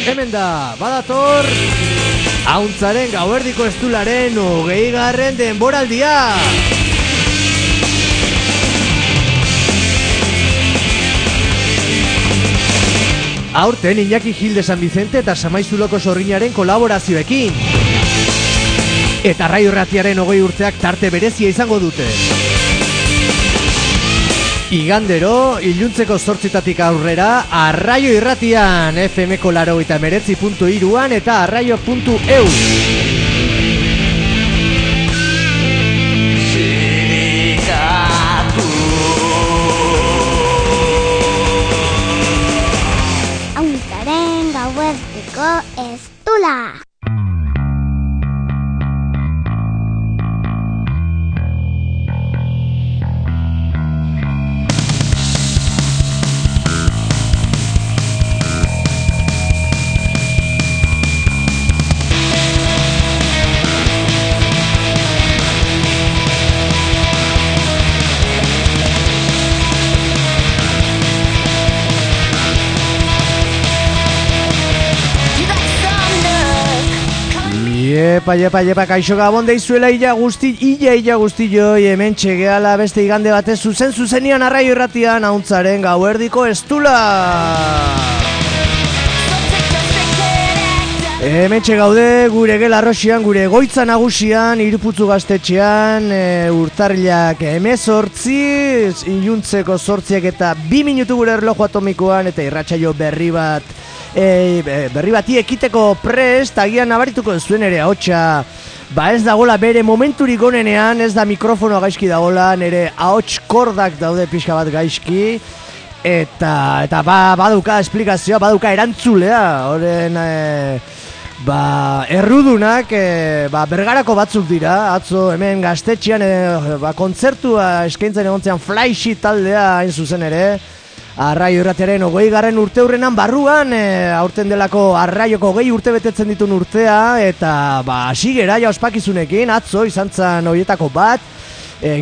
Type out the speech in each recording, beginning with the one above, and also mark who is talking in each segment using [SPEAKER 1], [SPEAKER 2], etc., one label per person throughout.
[SPEAKER 1] Hemen da, badator Ahuntzaren gauerdiko estularen 20. denboraldia. Aurten Iñaki Gil de San Vicente eta Samaizuloko Sorginaren kolaborazioekin. Eta Arraio Irratiaren 20 urteak tarte berezia izango dute. Igandero, iluntzeko 8:00 aurrera, Arraio Irratian, FM-ko 89.3 eta arraio.eu.
[SPEAKER 2] Ahuntzaren gauerdiko estula.
[SPEAKER 1] Iepa, kaixo gabon deizuela illa guzti hemen txegeala beste igande batez zuzenian Arraio Irratian ahuntzaren gauerdiko estula. Hemen txegaude gure gela arroxian, gure goitza nagusian, Iruputzu gaztetxean, urtarrilak 18, iluntzeko 8 eta 2 minutu gure erloju atomikoan eta irratsaio berri bati ekiteko prest, agian nabarituko zuen ere ahotsa ez dagola bere momenturik onenean, ez da mikrofonoa gaizki dagola, nere ahots kordak daude pixka bat gaizki eta baduka esplikazioa, baduka erantzulea horren errudunak bergarako batzuk dira. Atzo hemen gaztetxean kontzertua eskaintzen egontzean Flyshi taldea hain zuzen ere Arraio Irratiaren 20. urteurrenan barruan, aurten delako Arraioko 20 urte betetzen ditun urtea, eta hasi gera ja ospakizunekin, atzo izan zen horietako bat,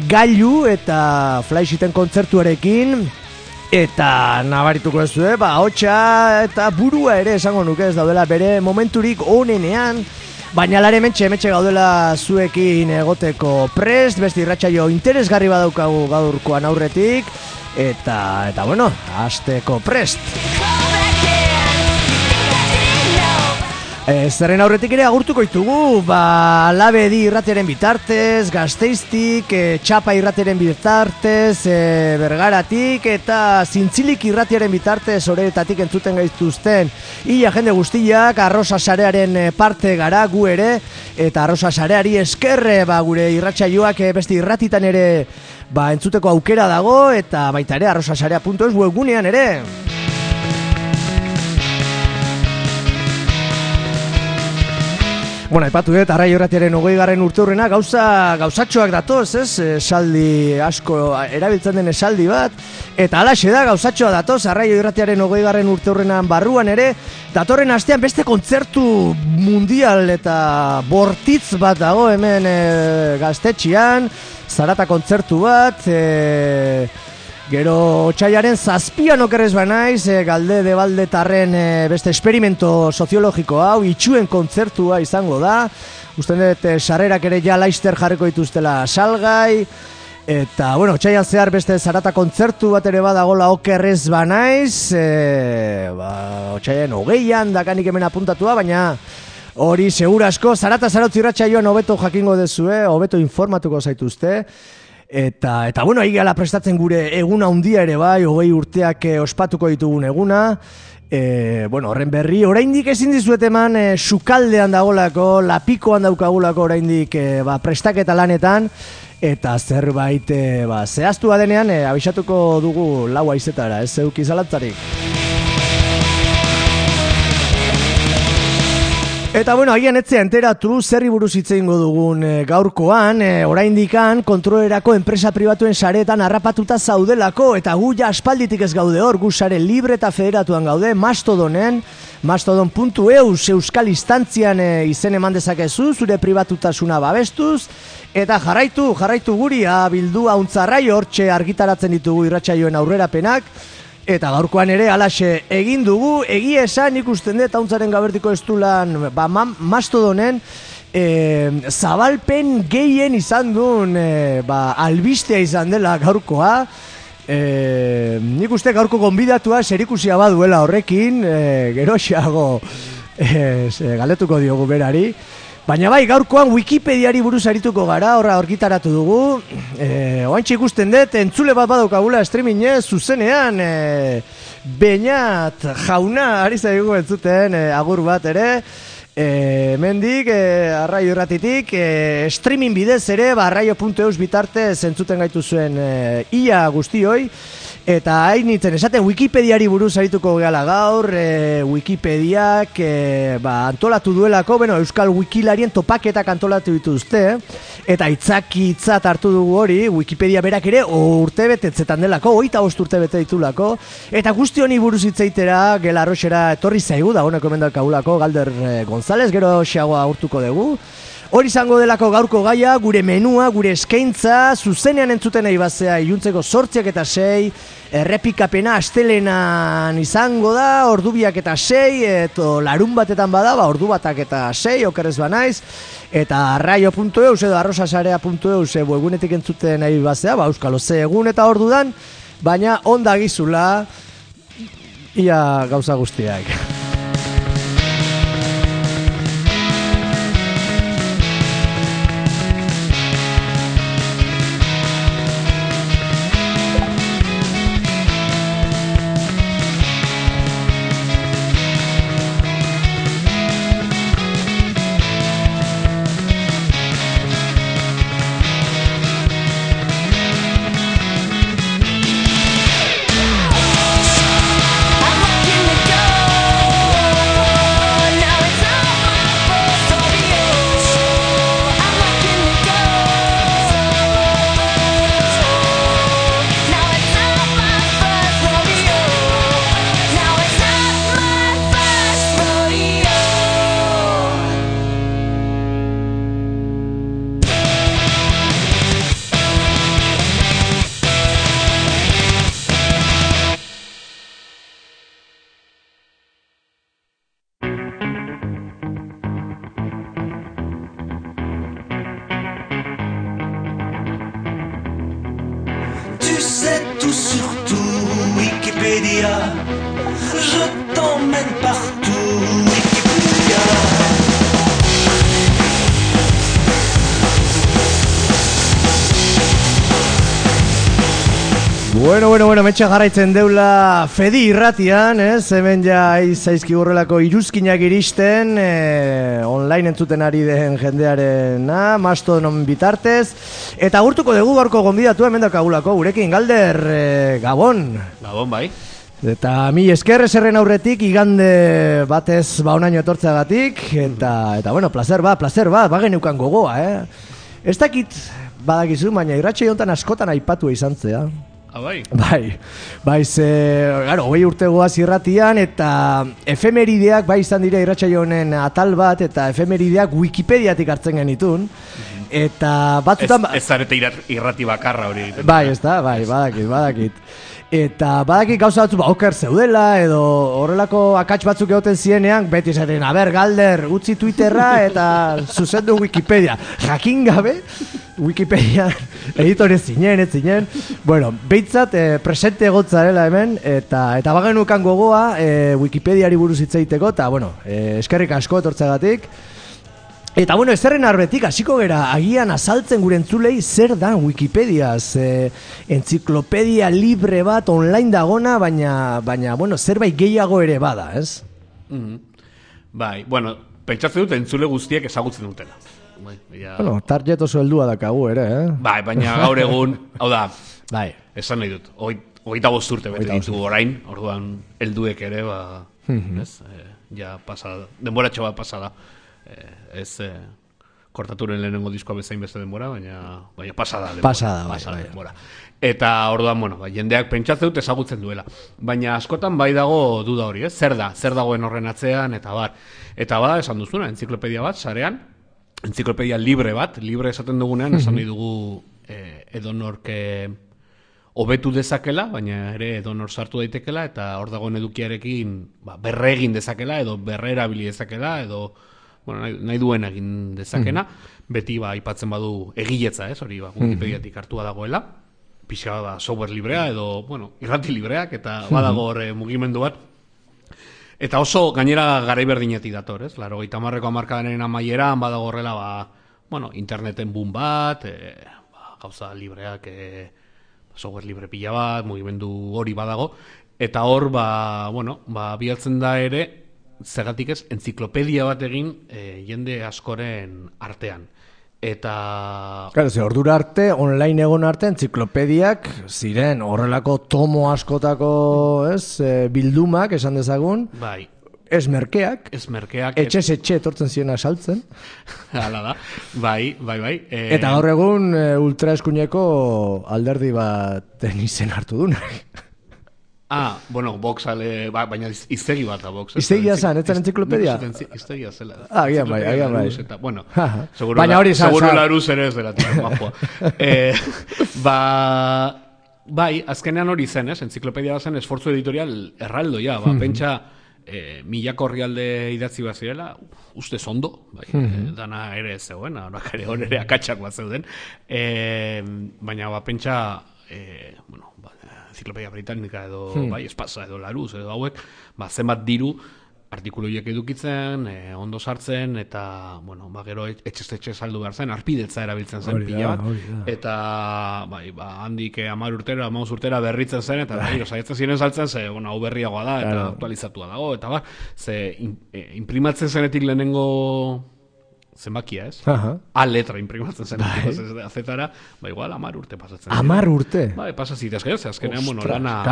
[SPEAKER 1] gailu eta Flyshiten kontzertuarekin, eta nabarituko ez du, hotxa eta burua ere esango nuke ez daudela bere momenturik onenean, baina lare mentxe gaudela zuekin egoteko prest, beste irratsaio interesgarri badaukagu gaurkoan aurretik, eta bueno, hasteko prest. Zerren aurretik ere agurtuko ditugu, Labedi irratiaren bitartez, Gasteiztik, Txapa irratiaren bitartez, Bergaratik eta Zintzilik irratiaren bitartez horretatik entzuten gaituzten ia jende guztiak, Arrosa sarearen parte gara gu ere, eta Arrosa sareari eskerre gure irratsaioak beste irratitan ere entzuteko aukera dago, eta baita ere arrosasarea.es webgunean ere. Bueno, aipatu dut, Arraio Irratiaren 20. urteurrena gauzatxoak datoz, ez? Esaldi asko erabiltzen den esaldi bat, eta alaxe da gauzatxoa datoz, Arraio Irratiaren 20. urteurrenan barruan ere, datorren astean beste kontzertu mundial eta bortitz bat dago hemen gaztetxean, zarata kontzertu bat, gero otsailaren 7 okerrez banaiz, Galde de Baldetarren beste esperimento soziologiko hau, itxuen kontzertua izango da, uste dut sarrerak ere ja laister jarriko dituztela salgai, eta bueno, otsailan zehar beste zarata kontzertu bat ere badagola okerrez banaiz, otsailan 20an dakanik hemen apuntatua, baina hori segurasko, zarata zarautzi irratsaioan hobeto jakingo dezue, hobeto informatuko zaituzte. Eta bueno, ahi gala prestatzen gure eguna handia ere 20 urteak ospatuko ditugun eguna. Bueno, horren berri, oraindik ezin dizuet eman sukaldean dagolako, lapikoan daukagulako oraindik prestaketa lanetan, eta zerbait zehaztu badenean abisatuko dugu 4 haizetara, ez zeuki zalantzarik. Eta bueno, agian etzea enteratu zerri buruz hitz egingo dugun gaurkoan, oraindikan kontrolerako enpresa pribatuen sareetan harrapatuta zaudelako, eta gu ja aspalditik ez gaude hor, gu sare libre eta federatuan gaude, Mastodonen, mastodon.eu euskal instantzian izen eman dezakezu, zure pribatutasuna babestuz, eta jarraitu guri, bildu Ahuntzarrai hortxe argitaratzen ditugu irratsaioen aurrerapenak, Eta gaurkoan ere alaxe egin dugu, egia esan ikusten dut hauntzaren gabertiko estulan mastodonen zabalpen gehien izan duen albistea izan dela gaurkoa. Nik uste gaurko gonbidatua serikusia baduela horrekin, geroxeago galetuko diogu berari. Baina bai, gaurkoan Wikipediari buruz arituko gara, horra argitaratu dugu. Oantxe ikusten dut, entzule bat badaukagula streamingez, zuzenean, Beñat jauna, ari zaigu entzuten, agur bat ere. Mendik, arraio irratitik, streaming bidez ere, arraio.eus bitartez entzuten gaitu zuen ia guztioi. Eta hain nintzen esaten Wikipediari buruz arituko gehala gaur, Wikipediak antolatu duelako, Euskal Wikilarien topaketak antolatu dituzte, eta hitzat hartu dugu hori, Wikipedia berak ere urte betetzetan delako, 25 urte bete ditulako, eta guzti honi buruz hitzaitera gela arroxera etorri zaigu, da honeko emendakagulako, Galder González, gero xeagoa urtuko dugu. Hori izango delako gaurko gaia, gure menua, gure eskaintza, zuzenean entzuten nahi bazea iluntzeko 8:06, errepikapena astelenan izango da, ordu 2:06, eta larun batetan bada, ordu 1:06, okerrez banaiz, eta arraio.eus edo arrosasarea.eus webgunetik entzuten nahi bazea, euskalo ze egun eta ordudan, baina onda gizula, ia gauza guztiak. Bueno, metxe jarraitzen deula Fedi irratian, hemen ja zaizki horrelako iruzkinak iristen, online entzuten ari den jendearena, Mastodonon bitartez, eta agurtuko dugu gaurko gonbidatu hemen dakagulako, gurekin Galder, Gabon.
[SPEAKER 3] Gabon, bai.
[SPEAKER 1] Eta mi esker eserren aurretik, igande batez onaino etortzeagatik, eta bueno, placer bat, bageneukan gogoa, Ez dakit badakizu, baina irratxe jontan askotan aipatu izan zea.
[SPEAKER 3] Bai.
[SPEAKER 1] Bai, claro, 20 urte goaz irratian, eta efemerideak bai izan dira irratsaio honen atal bat, eta efemerideak Wikipediatik hartzen genitun. Eta batzutan
[SPEAKER 3] ez zarete irrati bakarra hori egiten.
[SPEAKER 1] Bai, ez da, badakit. Eta badakit gauza batzu oker zeudela, edo horrelako akats batzuk egoten zienean, beti esaten, Galder, utzi Twitterra eta zuzendu Wikipedia. Jakin gabe, Wikipedia editore zinen. Bueno, behintzat presente egotzarela hemen, eta bagenukan gogoa Wikipediari buruz hitzaiteko, eta bueno, eskerrik asko etortzegatik. Eta bueno, ezerren arbetik, hasiko gera, agian azaltzen gure entzulei zer da Wikipedia, entziklopedia libre bat online dagona, baina bueno, zerbait gehiago ere bada, ez?
[SPEAKER 3] Bai, bueno, pentsatzen dut entzule guztiek ezagutzen dutela.
[SPEAKER 1] Bueno, target oso heldua dakagu ere,
[SPEAKER 3] Bai, baina gaur egun, hau da,
[SPEAKER 1] bai,
[SPEAKER 3] esan nahi dut, 25 urte bete ditugu orain, orduan helduek ere, ez? Ja pasada, denboratxo bat pasada. Ez kortaturen lehenengo diskoa bezain beste denbora, baina pasada denbora. Eta orduan, bueno, jendeak pentsatzen dut ezagutzen duela. Baina askotan bai dago duda hori, zer dagoen horren atzean, eta bar. Eta bada, esan duzuna, entziklopedia bat, sarean, entziklopedia libre bat, libre esaten dugunean, esan nahi dugu edonork hobetu dezakela, baina ere edonor sartu daitekela, eta hor dagoen edukiarekin berre egin dezakela, edo berre erabili dezakela, edo nahi duen egin dezakena, beti aipatzen badu egiletza, hori Wikipediatik hartua dagoela, pixa software librea, edo, irrati libreak, eta badago hor mugimendu bat. Eta oso gainera garai berdinetik dator, ez? 80ko hamarkadaren amaieran badago horrela, interneten boom bat, gauza libreak, software libre pila bat, mugimendu hori badago, eta hor, bilatzen da ere, zergatik ez, entziklopedia bat egin jende askoren artean. Eta...
[SPEAKER 1] Claro, ordura arte, online egon arte, entziklopediak ziren horrelako tomo askotako bildumak, esan dezagun.
[SPEAKER 3] Bai.
[SPEAKER 1] Ez merkeak. Etxez etxe etortzen ziren saltzen.
[SPEAKER 3] Hala da. Bai.
[SPEAKER 1] Eta gaur egun ultraeskuineko alderdi bat izen hartu dunak.
[SPEAKER 3] Voxale, baina iztegi bat da Vox.
[SPEAKER 1] Iztegia zan, ez zen entziklopedia?
[SPEAKER 3] Iztegia zela.
[SPEAKER 1] Agian bai.
[SPEAKER 3] Baina hori zan. Seguro laruz ere ez dela, majoa. Bai, azkenean hori zen, entziklopedia zen esfortzu editorial erraldoia, pentsa milako orrialde idatzi bat zirela, uste zondo, dana ere ez zegoen, hor ere akatsak bat zeuden, baina pentsa, Enciclopedia Británica edo Espasa edo Laruz edo hauek, zenbat diru artikuluiek edukitzen, ondo sartzen, eta, gero etxez saldu behar zen, arpidetza erabiltzen zen pila bat, eta, handik 10 urtera, 15 urtera berritzen zen, eta saiatzen ziren saltzen, hau berriagoa da, eta aktualizatua dago, eta imprimatzen zenetik lehenengo zenbakia, ez? A letra imprimatzen zen, azetara, igual 10 urte pasatzen.
[SPEAKER 1] 10 urte?
[SPEAKER 3] Pasa zitezke, azkenean, lana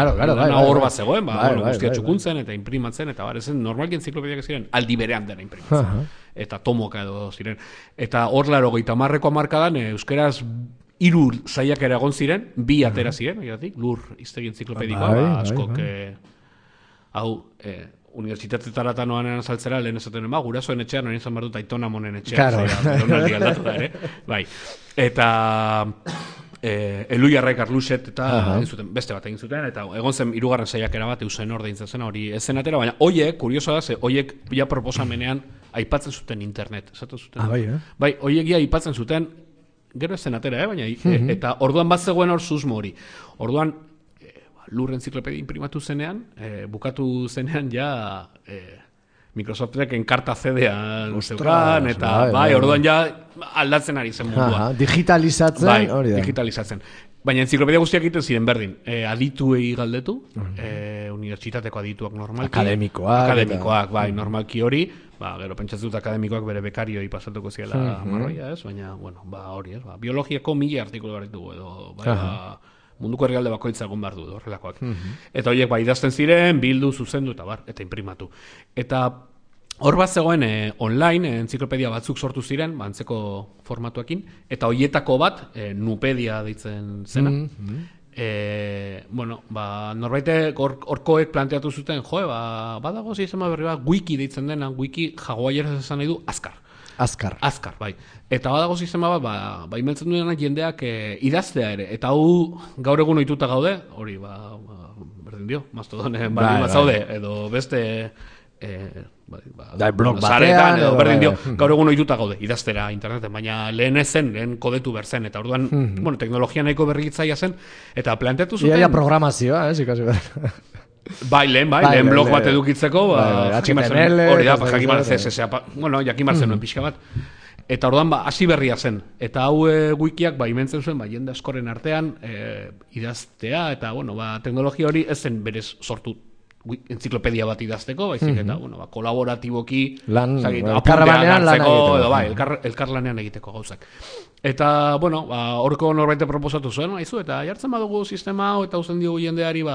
[SPEAKER 3] hor bat zegoen, guztia txukuntzen, eta imprimatzen, eta ezen normalki enziklopediak ziren, aldi berean dena imprimatzen. Eta tomoka edo ziren. Eta hor 80ko hamarkadan, euskeraz 3 zaiak ere egon ziren, 2 atera ziren, lur iztegi enziklopedikoa, askok, hau, unibertsitatetaratan noanean saltzera, lehen esaten gurasoen etxean, hori izan behar dut aitona monen etxean, donaldi aldatu da, bai. Eta Eluiarraik Arluxet eta beste bat egin zuten, eta egon zen 3. saiakera bat eusen orde intzen zen, hori ez zen atera, baina hoiek, kuriosoa da, hoiek ja proposamenean aipatzen zuten internet, esatu zuten. Bai, hoiek ja aipatzen zuten, gero ez zen atera, baina, eta orduan bat zegoen hor susmo hori. Orduan, lur entziklopedia imprimatu zenean, bukatu zenean ja Microsoftek enkarta CD-an zeukan, eta orduan ja aldatzen ari zen mundua.
[SPEAKER 1] Digitalizatzen, hori da.
[SPEAKER 3] Digitalizatzen. Baina entziklopedia guztiak egiten ziren berdin. Adituei galdetu, unibertsitateko adituak normalki. Akademikoak, normalki hori. Gero pentsatzen dut akademikoak bere bekarioi pasatuko ziela marroia, ez? Baina, hori, ez? Biologiako 1000 artikulu barritugu edo, munduko herrialde bakoitza egon behar du, horrelakoak. Eta horiek idazten ziren, bildu, zuzendu, eta imprimatu. Eta hor bat zegoen online, entziklopedia batzuk sortu ziren, antzeko formatuekin, eta horietako bat, Nupedia deitzen zena. Norbaitek horkoek planteatu zuten, badago zizema berri bat, wiki deitzen dena, wiki jaguaieraz esan nahi du, Azkar, bai. Eta badago sistema bat, imeltzen duena jendeak idaztea ere. Eta hau gaur egun ohituta gaude, hori, berdin dio, mastodonen bat zaude, edo beste
[SPEAKER 1] blog batean,
[SPEAKER 3] edo berdin dio, gaur egun ohituta gaude, idaztera interneten, baina lehen kodetu berzen, eta orduan, teknologia nahiko berritzaia zen, eta planteatu zuten...
[SPEAKER 1] Ia programazioa, ikasi behar.
[SPEAKER 3] Lehen blog bat edukitzeko, HTML, hori da, jakimarzen CSS, jakimarzen nuen pixka bat. Eta orduan, hasi berria zen. Eta hau wikiak, imentzen zuen, jende askoren artean, idaztea, eta, teknologia hori ez zen berez sortu entziklopedia bat idazteko, baizik, eta, kolaboratiboki,
[SPEAKER 1] elkarlanean lan egiteko.
[SPEAKER 3] Elkarlanean egiteko gauzak. Eta, horko norbaite proposatu zuen, eta jartzen badugu sistema hau, eta uzen diogu jendeari,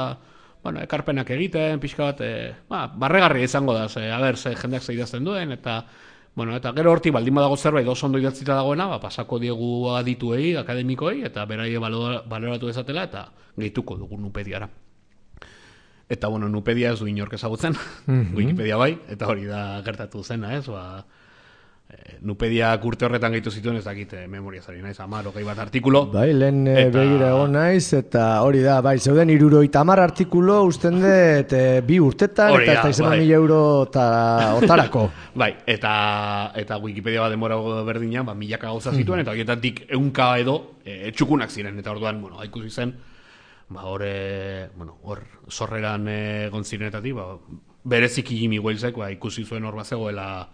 [SPEAKER 3] ekarpenak egiten, pixka bat, barregarria izango da, jendeak ze idazten duen, eta gero hortik baldin badago zerbait oso ondo idatzita dagoena, pasako diegu adituei, akademikoei, eta beraie baloratu dezatela, eta gehituko dugu Nupediara. Eta, Nupedia ez du inork ezagutzen, Wikipedia bai, eta hori da gertatu zena, ez, Nupediak urte horretan gehitu zituen, ez dakit memoria zari naiz, 10-20 artikulo.
[SPEAKER 1] Bai, lehen begira egon naiz, eta hori da, bai, zeuden 70 artikulo usten dut 2 urtetan, eta ez da izan 1.000 euro otarako.
[SPEAKER 3] Bai, eta Wikipedia bat denbora berdina, milaka gauza zituen, eta horietatik 100 edo txukunak ziren, eta orduan, ikusi zen, hor sorreran egon zirenetatik, bereziki Jimmy Walesek ikusi zuen hor bazegoela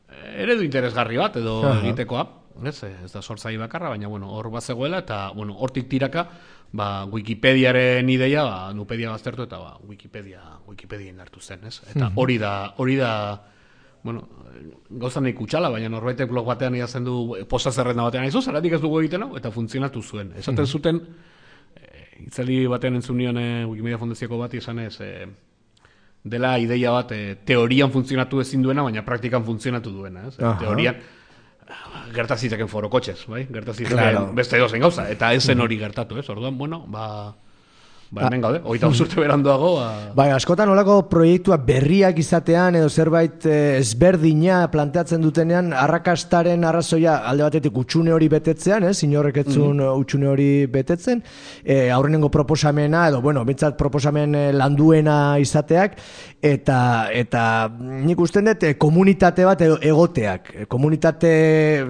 [SPEAKER 3] eredu interesgarri bat edo egitekoa, ez da sortzaile bakarra, baina hor bazegoela, eta hortik tiraka Wikipediaren ideia Nupedia baztertu eta Wikipedia indartu zen, ez? Eta hori da gauza nahi kutsala, baina norbaitek blog batean iazen du posta zerrenda batean aizu, zeratik ez dugu egiten hau, eta funtzionatu zuen. Esaten zuten, itzali batean entzun nion Wikimedia Fondazioko bat izan ez, dela ideia bat teorian funtzionatu ezin duena, baina praktikan funtzionatu duena. Teorian gertaziteken forokotxez, bai? Gertaziteken beste edozen gauza, eta ez zen hori gertatu, ez? Orduan, hemen gaude, 25 urte beranduago.
[SPEAKER 1] Bai, askotan olako proiektuak berriak izatean edo zerbait ezberdina planteatzen dutenean, arrakastaren arrazoia alde batetik utxune hori betetzean, inorrek etzun utxune hori betetzen, aurrenengo proposamena edo, bintzat proposamen landuena izateak, eta nik usten dut komunitate bat egoteak, komunitate,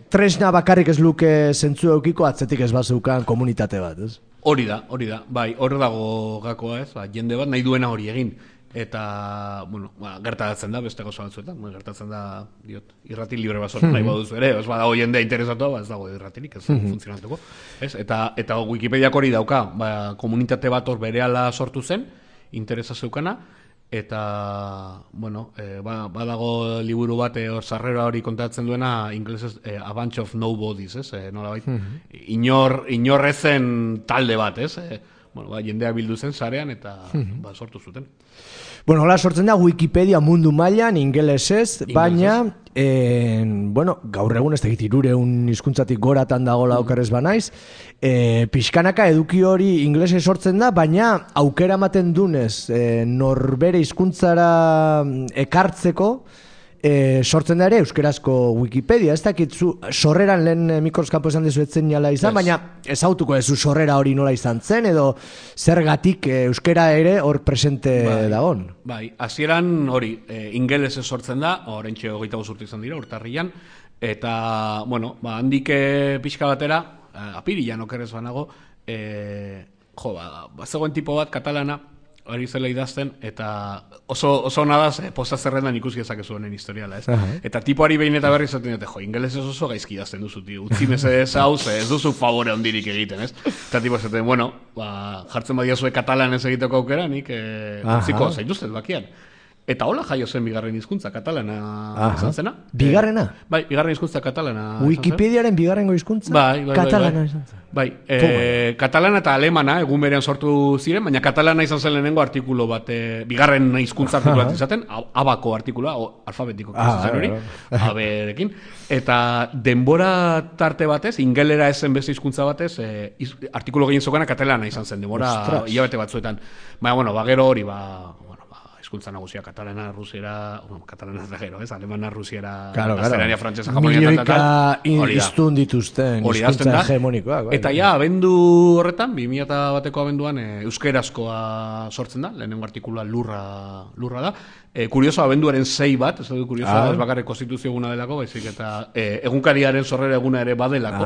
[SPEAKER 1] tresna bakarrik ez luke zentzu eukiko, atzetik ez bazeukan komunitate bat, ez?
[SPEAKER 3] Hori da, bai, hor dago gakoa ez, jende bat nahi duena hori egin, eta, gertatzen da, beste gauza batzuetan, gertatzen da, irrati libre bat sortu nahi baduzu ere, ez badago jendea interesatua, ez dago irratirik, ez funtzionatuko, ez? Eta Wikipediak hori dauka, komunitate bat hor berehala sortu zen, interesa zeukana, eta, badago liburu bat sarrera hori kontatzen duena, inglesez, A Bunch of Nobodies, ez? Nolabait, inor ezen talde bat, ez? Jendea bildu zen sarean, eta sortu zuten.
[SPEAKER 1] Hola sortzen da Wikipedia mundu mailan ingelesez, baina gaur egun ez da egit 300 hizkuntzatik goratan dagoela okerrez banaiz, pixkanaka eduki hori ingelesez sortzen da, baina aukera ematen dunez norbere hizkuntzara ekartzeko sortzen da ere euskerazko Wikipedia. Ez dakit zu sorreran lehen mikroskapa esan dizuetzen jala izan, baina ez autuko ez zu sorrera hori nola izan zen, edo zergatik euskera ere hor presente dagon.
[SPEAKER 3] Bai, hasieran hori ingelesez sortzen da, horrentxe 25 urte izan dira, urtarrian, eta, handik pixka batera, apirilan okerrez banago, bazegoen tipo bat katalana, hori zela idazten, eta oso nadaz, posta zerrendan ikusi ezakezu honen historiala, ez? Eta tipoari behin eta berri zaten dute, ingelesez oso gaizki idazten duzu, tio, utzi mesedez hau, ez duzu favore ondirik egiten, ez? Eta tipo zaten, jartzen badiazue katalanez egiteko aukera, nik utziko zaituztet bakian. Eta hola jaio zen bigarren hizkuntza katalana izan zena.
[SPEAKER 1] Bigarrena?
[SPEAKER 3] Bai, bigarren hizkuntza katalana.
[SPEAKER 1] Wikipediaren bigarrengo hizkuntza?
[SPEAKER 3] Bai.
[SPEAKER 1] Katalana izan zen.
[SPEAKER 3] Bai, katalana eta alemana egun berean sortu ziren, baina katalana izan zen lehenengo artikulu bat, bigarren hizkuntza artikulu bat izaten, abako artikulua, alfabetiko zen hori, aberekin. Eta denbora tarte batez, ingelera ezen beste hizkuntza batez, artikulu gehien zokana katalana izan zen, denbora hilabete batzuetan. Baina, gero hori, hizkuntza nagusia katalana, rusiera, katalana da gero, alemana, rusiera, gaztelania, frantsesa, japonia,
[SPEAKER 1] milioika iztun dituzten hizkuntza hegemonikoak.
[SPEAKER 3] Eta abendu horretan, 2001ko abenduan, euskerazkoa sortzen da, lehenengo artikulua lurra da. Kurioso, abenduaren 6 bat, ez da kurioso, ez bakarrik konstituzio eguna delako, baizik eta egunkariaren sorrera eguna ere badelako.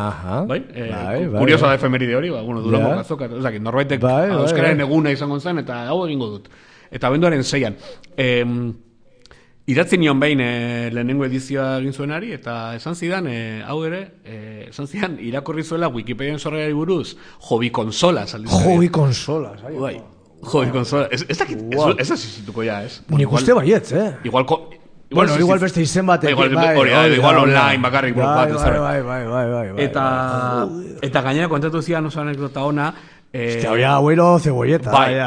[SPEAKER 3] Kurioso da efemeride hori, Durango kazoka, norbaitek euskararen eguna izango zen, eta hau egingo dut. Eta abenduaren 6an. Idatzi nion behin lehenengo edizioa egin zuenari, eta esan zidan, hau ere, esan zidan, irakurri zuela Wikipedian sorrerari buruz, Hobby Consola.
[SPEAKER 1] Hobby Consola,
[SPEAKER 3] bai. Hobby Consola. Ez dakit, ez azizituko ja, ez?
[SPEAKER 1] Nik uste baietz, Igual beste izen batek.
[SPEAKER 3] Igual online bakarrik blog bat.
[SPEAKER 1] Bai.
[SPEAKER 3] Eta gainera kontatu zian oso anekdota ona,
[SPEAKER 1] Hori abuelo cebolleta.
[SPEAKER 3] Bai,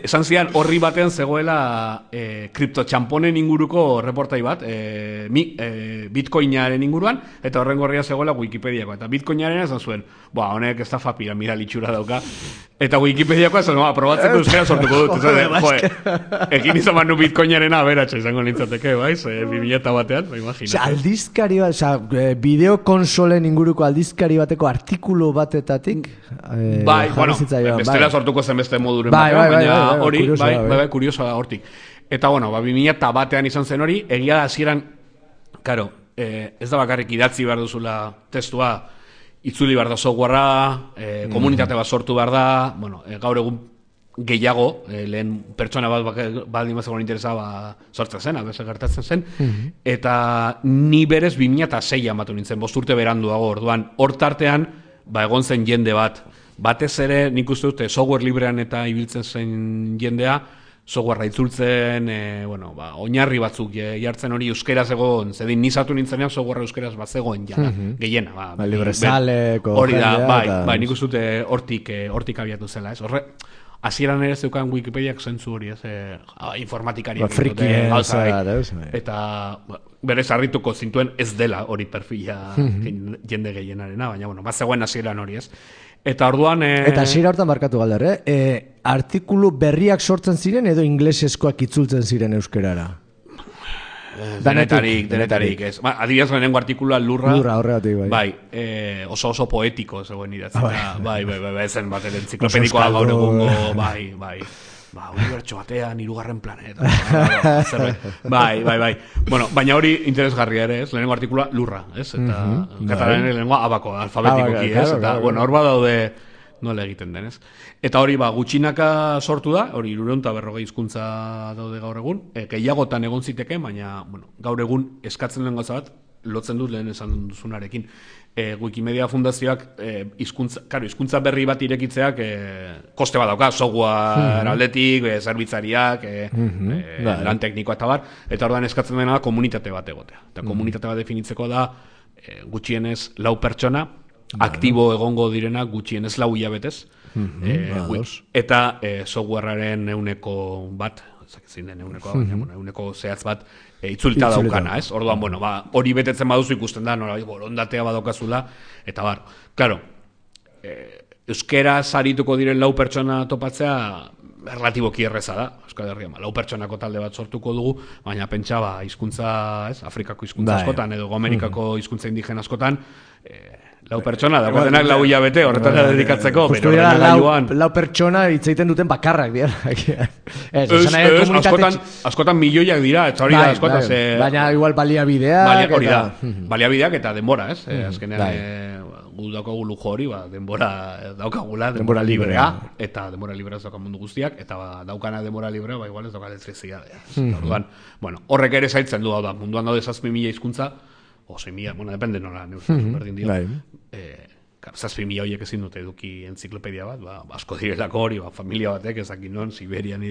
[SPEAKER 3] esan zian horri batean zegoela kriptotxamponen inguruko reportai bat, bitcoinaren inguruan, eta horren gorria zegoela Wikipediako. Eta bitcoinaren esan zuen, honek estafa piramidal itxura dauka. Eta Wikipediakoa esan, probatzeko euskera sortuko dut. Ekin izan manu bitcoinaren aberatxa izango nintzateke, baiz? 2000 batean, imagina.
[SPEAKER 1] Aldizkari bat, bideokonsolen inguruko aldizkari bateko artikulu batetatik.
[SPEAKER 3] Bai, bestela sortuko zen beste moduren batean, baina hori, bai, kuriosoa da hortik. Eta, 2000 batean izan zen hori, egia da hasieran, karo, ez da bakarrik idatzi behar duzula testua, itzuli behar da softwarea, komunitate bat sortu behar da, gaur egun gehiago, lehen pertsona bat baldin bazegoen interesa sortzen zen, abese gertatzen zen, eta ni berez 2006an batu nintzen, 5 urte beranduago, orduan, hor tartean, egon zen jende bat, batez ere, nik uste dute, software librean eta ibiltzen zen jendea, softwarea itzultzen, oinarri batzuk jartzen hori euskeraz egon, zedin nizatu nintzenean softwarea euskeraz bat zegoen jana, gehiena.
[SPEAKER 1] Librezaleko
[SPEAKER 3] hori da, bai, nik uste dute hortik abiatu zela, ez? Horre, hasieran ere zeukan Wikipediak zentzu hori, ez? Informatikariak.
[SPEAKER 1] Frikien,
[SPEAKER 3] eta berez harrituko zintuen ez dela hori perfila jende gehienarena, baina, bat zegoen hasieran hori, ez? Eta orduan...
[SPEAKER 1] Eta hasiera hortan markatu galder, artikulu berriak sortzen ziren edo inglesezkoak itzultzen ziren euskerara?
[SPEAKER 3] Denetarik, ez. Adibidez lehenengo artikulua lurra
[SPEAKER 1] horregatik, bai.
[SPEAKER 3] Bai, oso poetiko zegoen idatzi. Bai, ezen bat entziklopenikoa gaur egungo, bai. Unibertso batean, 3. planeta. Bai. Bueno, baina hori interesgarria ere, ez? Lehenengo artikulua lurra, ez? Eta katalanen lehenengoa abako, alfabetikoki, ez? Eta, hor badaude nola egiten den, ez? Eta hori, gutxinaka sortu da, hori 340 hizkuntza daude gaur egun, gehiagotan egon ziteke, baina, gaur egun eskatzen duen gauza bat, lotzen dut lehen esan duzunarekin. Wikimedia Fundazioak hizkuntza berri bat irekitzeak koste bat dauka, software aldetik, zerbitzariak, lan teknikoa eta bar, eta orduan eskatzen dena komunitate bat egotea. Eta komunitate bat definitzeko da gutxienez 4 pertsona, aktibo egongo direnak gutxienez 4 hilabetez, eta softwarearen 1% zein den euneko zehatz bat itzulita daukana, ez? Orduan, hori betetzen baduzu ikusten da, borondatea badaukazula, eta claro, euskera sarituko diren 4 pertsona topatzea relatiboki erreza da, Euskal Herrian, 4 pertsonako talde bat sortuko dugu, baina pentsa, hizkuntza, ez? Afrikako hizkuntza askotan, edo Amerikako hizkuntza indigena askotan, 4 pertsona, dagoetenak 4 hilabete, horretara dedikatzeko,
[SPEAKER 1] bero horren gailuan. 4 pertsona hitz egiten duten bakarrak dira.
[SPEAKER 3] Askotan milioiak dira, eta hori da, askotan.
[SPEAKER 1] Baina igual baliabideak.
[SPEAKER 3] Hori da, baliabideak eta denbora, ez? Azkenean, gu daukagu lujo hori, denbora daukagula, denbora librea, eta denbora librea ez dauka mundu guztiak, eta daukana denbora librea, igual ez dauka elektrizidadea. Orduan, horrek ere zailtzen du, munduan daude 7.000 hizkuntza, o 6.000, depende nola, berdin dio. 7.000 horiek ezin dute eduki entziklopedia bat, asko direlako hori, familia batek, ezakin non, Siberian,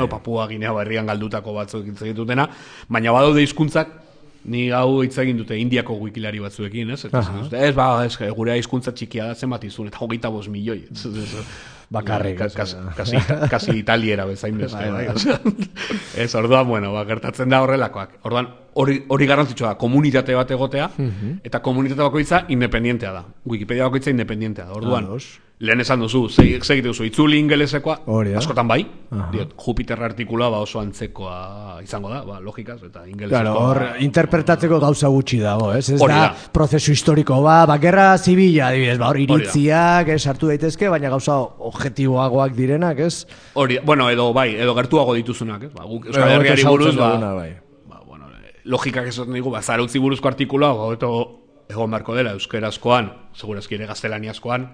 [SPEAKER 3] Papua Ginea Berrian galdutako batzuk hitz egitutena, baina badaude hizkuntzak, ni hau hitz egin dute Indiako wikilari batzuekin, ez? Ez, gure hizkuntza txikia da zenbat izun, eta 25 milioi.
[SPEAKER 1] Bakarrik.
[SPEAKER 3] Kasi italiera bezain beste. Ez, orduan, gertatzen da horrelakoak. Orduan, hori garrantzitsua da, komunitate bat egotea, eta komunitate bakoitza independientea da. Wikipedia bakoitza independientea da. Orduan, lehen esan duzu, segite duzu, itzuli ingelesekoa, askotan bai, Jupiter artikula oso antzekoa izango da, logikaz, eta ingelesekoa.
[SPEAKER 1] Hor, interpretatzeko gauza gutxi dago, ez? Ez da prozesu historiko, gerra zibila, hor iritziak, sartu daitezke, baina gauza objektiboagoak direnak, ez?
[SPEAKER 3] Hori, edo gertuago dituzunak, ez? Euskal Herriari buruz, logikak esaten digu, zarautzi buruzko artikula, egon barko dela, euskerazkoan, segurazki ere gaztelaniazkoan,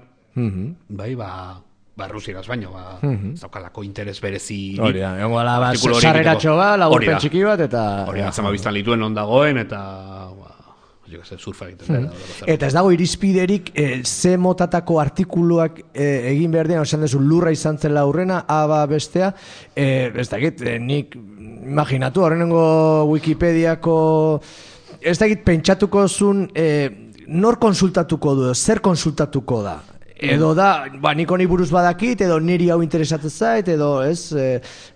[SPEAKER 3] rusieraz baino, zaukalako interes berezi.
[SPEAKER 1] Hori da, egon gala, sarreratxo laburpen txiki bat, eta...
[SPEAKER 3] Hori da, zema biztan lituen ondagoen, eta... surfa egiten dela.
[SPEAKER 1] Eta ez dago irizpiderik ze motatako artikuluak egin behar dira, esan dezu lurra izan zela aurrena, aba bestea, ez dakit, nik imaginatu, horrenengo Wikipediako, ez dakit pentsatuko zun, nor konsultatuko du, zer konsultatuko da? Edo da, nik honi buruz badakit, edo niri hau interesatzen zait, edo ez,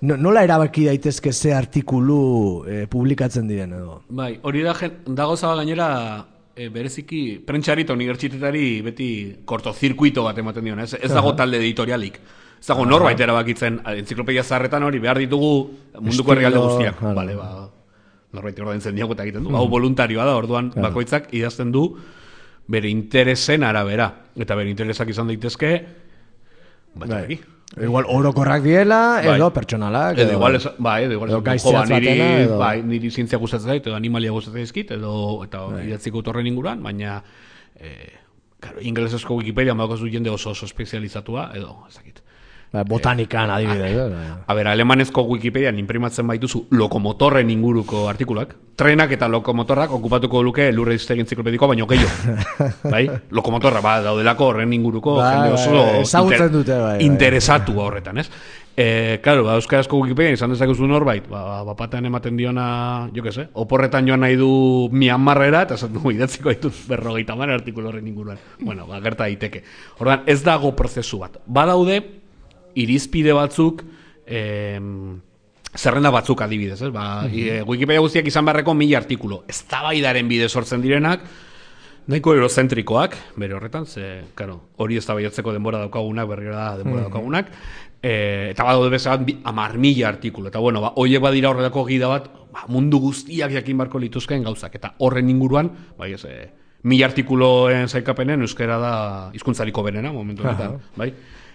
[SPEAKER 1] nola erabaki daitezke ze artikulu publikatzen diren, edo?
[SPEAKER 3] Bai, hori dago zaba gainera, bereziki, prentxari eta unibertsitetari beti kortozirkuito bat ematen dion, ez dago talde editorialik. Ez dago norbait erabakitzen, enziklopedia zaharretan hori behar ditugu munduko herrialde guztiak. Bale, norbait ordaintzen diago eta egiten du. Hau voluntarioa da, orduan bakoitzak idazten du bere interesen arabera. Eta bere interesak izan daitezke, batzaki.
[SPEAKER 1] Igual orokorrak diela, edo pertsonalak.
[SPEAKER 3] Edo igual, niri zientzia gustatzen zait, edo animalia gustatzen zaizkit, eta idatziko torren inguruan, baina ingelesezko Wikipedia bakozu jende oso espezializatua, edo ezakit.
[SPEAKER 1] Botanikan adibidez.
[SPEAKER 3] A ber, alemanezko Wikipedian imprimatzen baituzu lokomotorren inguruko artikuluak. Trenak eta lokomotorrak okupatuko luke lurre iztegi enziklopedikoa, baino gehiago. Bai? Lokomotorra, daudelako horren inguruko jende oso interesatu horretan, ez? Claro, euskarazko Wikipedia izan dezakezu norbait, bapatean ematen diona, jo que sé, oporretan joan nahi du Myanmarrera, eta esan du idatziko ditut 50 artikulu horren inguruan. Bueno, gerta daiteke. Ordan, ez dago prozesu bat. Badaude irizpide batzuk, zerrenda batzuk adibidez, ez? Wikipedia guztiak izan beharreko 1000 artikulu. Eztabaidaren bide sortzen direnak, nahiko eurozentrikoak, bere horretan, hori eztabaidatzeko denbora daukagunak, berrira denbora daukagunak, eta badaude bezala 10.000 artikulu. Eta bueno, horiek badira horrelako gida bat, mundu guztiak jakin barko lituzkeen gauzak. Eta horren inguruan, 1000 artikuloen zaikapenen euskara da hizkuntzariko benena, momentu honetan, bai?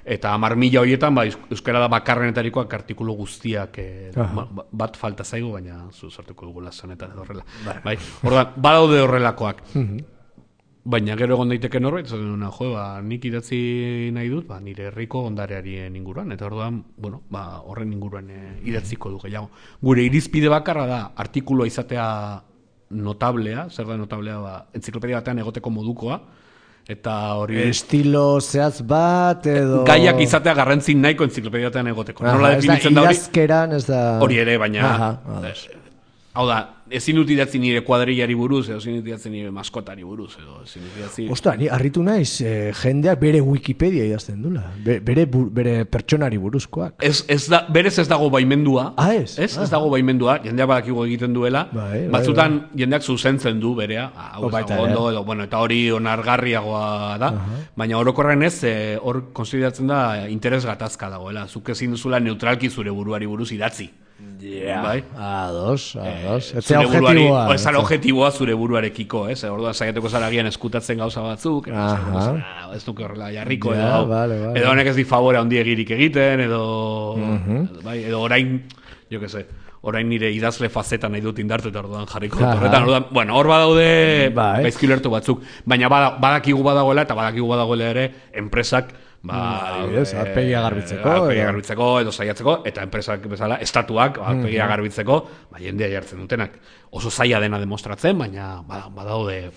[SPEAKER 3] Eta 10.000 horietan, euskara da bakarrenetarikoak artikulu guztiak bat falta zaigu, baina sortuko dugu lasanetan edo horrela. Ordan, badaude horrelakoak. Baina gero egon daiteke norbait, nik idatzi nahi dut, nire herriko ondarearien inguruan, eta orduan, horren inguruan idatziko du gehiago. Gure irizpide bakarra da, artikulua izatea notablea, zer da notablea, entziklopedia batean egoteko modukoa, eta hori...
[SPEAKER 1] Estilo zehaz bat, edo...
[SPEAKER 3] Gaiak izatea garrantzin nahiko entziklopedia batean egoteko. Nola definitzen da hori?
[SPEAKER 1] Idazkeran, ez da...
[SPEAKER 3] Hori ere, baina... Hau da, ezin dut idatzi nire kuadrillari buruz, edo ezin dut idatzi nire maskotari buruz, edo ezin dut idatzi...
[SPEAKER 1] Osta, ni harritu naiz, jendeak bere Wikipedia idazten dula, bere pertsonari buruzkoak.
[SPEAKER 3] Berez ez dago baimendua.
[SPEAKER 1] Ez?
[SPEAKER 3] Ez dago baimendua, jendeak badakigu egiten duela, batzutan jendeak zuzentzen du berea, eta hori onargarriagoa da, baina orokorren ez, hor konsideratzen da interes gatazka dagoela, zuk ezin duzula neutralki zure buruari buruz idatzi.
[SPEAKER 1] Ados.
[SPEAKER 3] Ez objetiboa zure buruarekiko, ez? Orduan saiatuko zara agian eskutatzen gauza batzuk, ez nuke horrela jarriko, edo honek ez di favore handi egirik egiten, edo orain, jo que se, orain nire idazle fazeta nahi dut indartu eta orduan jarriko dut horretan. Hor badaude gaizkilertu batzuk, baina badakigu badagoela eta badakigu badagoela ere enpresak
[SPEAKER 1] arpegia garbitzeko
[SPEAKER 3] edo saiatzeko, eta enpresak bezala estatuak arpegia garbitzeko jendea jartzen dutenak. Oso zaila dena demostratzen, baina badaude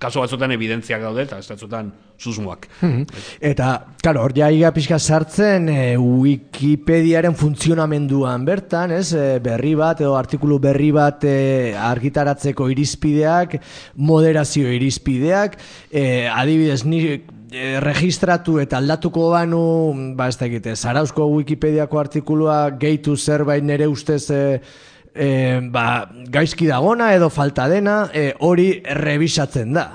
[SPEAKER 3] kasu batzutan evidentziak daude eta estatzutan susmoak.
[SPEAKER 1] Eta, klaro, hor jaiga pixka sartzen Wikipediaren funtzionamenduan bertan, berri bat edo artikulu berri bat argitaratzeko irizpideak, moderazio irizpideak, adibidez registratu eta aldatuko banu, ez da egite, Zarauzko Wikipediako artikulua gehitu zerbait nire ustez gaizki dagona edo falta dena, hori rebisatzen da.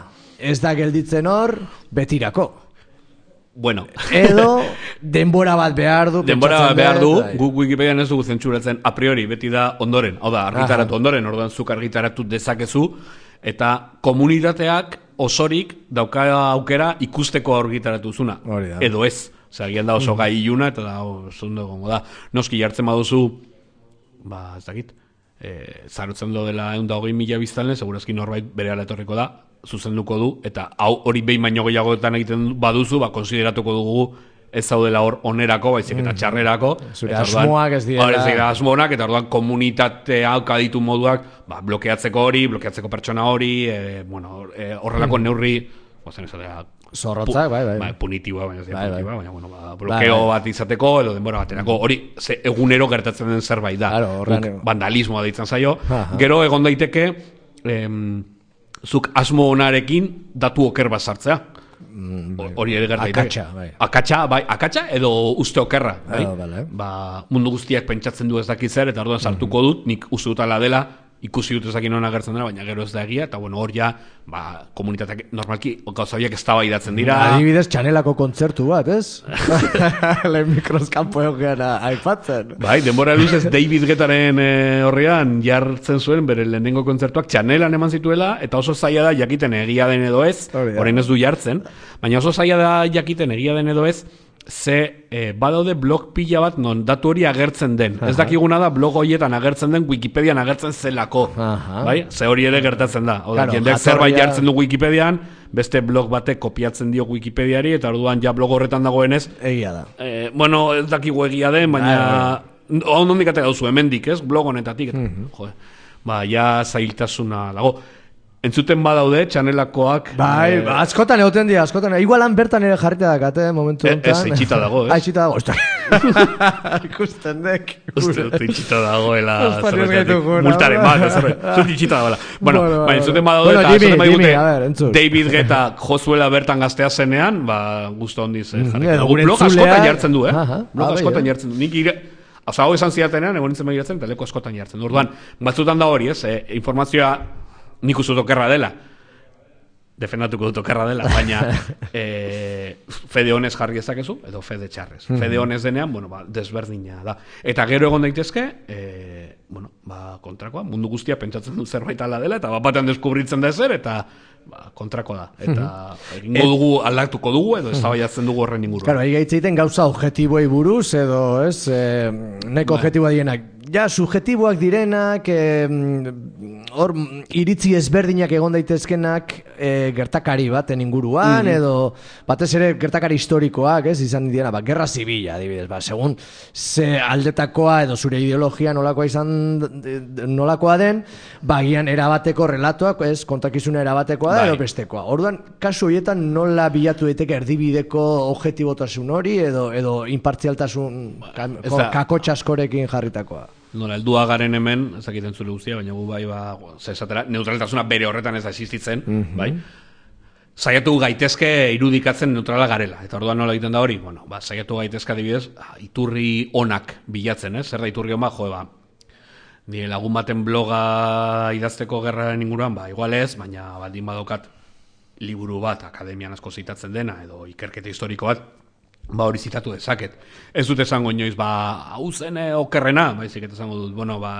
[SPEAKER 1] Ez da gelditzen hor, betirako.
[SPEAKER 3] Bueno.
[SPEAKER 1] Edo denbora bat behar du.
[SPEAKER 3] Denbora bat behar du, guk Wikipedian ez dugu zentsuratzen a priori, beti da ondoren. Hau da, argitaratu ondoren, orduan zuk argitaratu dezakezu, eta komunitateak osorik dauka aukera ikusteko argitaratu zuna. Edo ez. Zagian da oso gai iluna, eta da oso ondo gongo da. Noski jartzen baduzu, ez dakit, zarutzen do dela 120.000 biztanle, segurazki norbait bere etorriko da, zuzenduko du, eta hori behin baino gehiagoetan egiten baduzu, konsideratuko dugu ez zaudela hor onerako, baizik eta txarrerako.
[SPEAKER 1] Zure asmoak ez direla.
[SPEAKER 3] Asmoak, eta orduan komunitatea ditu moduak, blokeatzeko hori, blokeatzeko pertsona hori, horrelako neurri,
[SPEAKER 1] zorrotzak,
[SPEAKER 3] punitiboa, baina blokeo bat izateko, edo denbora baterako, hori egunero gertatzen den zerbait da. Vandalismoa deitzen zaio. Gero egon daiteke, zuk asmo onarekin datu oker bat sartzea. hori ere gertaiteke. Akatsa edo uste okerra, bai? Mundu guztiak pentsatzen du ez dakit zer, eta orduan sartuko dut, nik uste dut ala dela, ikusi dut ezakin hona agertzen dela, baina gero ez da egia, eta hor ja, komunitateak normalki gauzabiak eztabaidatzen dira.
[SPEAKER 1] Adibidez, Txanelako kontzertu bat, ez? Lehen mikroskampo egokean aipatzen.
[SPEAKER 3] Bai, denbora luzez David Guettaren horrean jartzen zuen, bere lehenengo kontzertuak Txanelan eman zituela, eta oso zaila da jakiten egia den edo ez, orain ez du jartzen, baina oso zaila da jakiten egia den edo ez, ze badaude blog pila bat non datu hori agertzen den. Ez dakiguna da blog horietan agertzen den Wikipedian agertzen zelako. Bai? Ze hori ere gertatzen da. Jendeak zerbait jartzen du Wikipedian, beste blog batek kopiatzen dio Wikipediari, eta orduan ja blog horretan dagoenez.
[SPEAKER 1] Egia da.
[SPEAKER 3] Bueno, ez dakigu egia den, baina ondik ate gauzu, hemendik, ez? Blog honetatik. Ja zailtasuna dago. Entzuten badaude, Txanelakoak...
[SPEAKER 1] Bai, askotan egoten dira, askotan. Igualan bertan ere jarrita dakate, momentu honetan.
[SPEAKER 3] Ez, itxita dago, ez?
[SPEAKER 1] Itxita dago, ikusten dek.
[SPEAKER 3] Uste dut itxita dagoela, zerretetik. Multaren bat, zut itxita dagoela. Bueno, entzuten badaude, eta entzuten badaude, David Guetta jozuela bertan gaztea zenean, guztu hondiz jarrita. Blog askotan jartzen du, Blog askotan jartzen du. Nik hau esan zidatenean, egon nintzen begiratzen, eta leko askotan jartzen du. Orduan, batzutan da hori, informazioa nik uste dut okerra dela, defendatuko dut okerra dela, baina fede honez jarri ezakezu, edo fede txarrez. Fede honez denean, desberdina da. Eta gero egon daitezke, kontrakoa, mundu guztia pentsatzen du zerbait ala dela, eta batean deskubritzen da ezer, eta kontrako da. Eta egingo dugu, aldatuko dugu, edo eztabaidatzen dugu horren inguruan.
[SPEAKER 1] Claro, ari gaitzeiten gauza objektiboei buruz, edo, ez, neko objektiboa dienak. Ja, subjektiboak direnak, hor iritzi ezberdinak egon daitezkenak gertakari baten inguruan, edo batez ere gertakari historikoak, ez, izan diena, gerra zibila, adibidez, segun ze aldetakoa edo zure ideologia nolakoa izan, nolakoa den, gian erabateko relatoak, ez, kontakizuna erabatekoa da, edo bestekoa. Orduan, kasu horietan nola bilatu daiteke erdibideko objektibotasun hori, edo inpartzialtasun kakotxaskorekin jarritakoa.
[SPEAKER 3] Nola, heldua garen hemen, ez dakiten zure guztia, baina gu bai, neutraltasuna bere horretan ez da existitzen, bai? Saiatu gaitezke irudikatzen neutrala garela, eta orduan nola egiten da hori? Bueno, saiatu gaitezke adibidez, iturri onak bilatzen, ez? Zer da iturri hon nire lagun baten bloga idazteko gerraren inguruan, igual ez, baina baldin badokat liburu bat, akademian asko zitatzen dena, edo ikerketa historiko bat, hori zitatu dezaket. Ez dut esango inoiz, hau zen okerrena, baizik eta esango dut,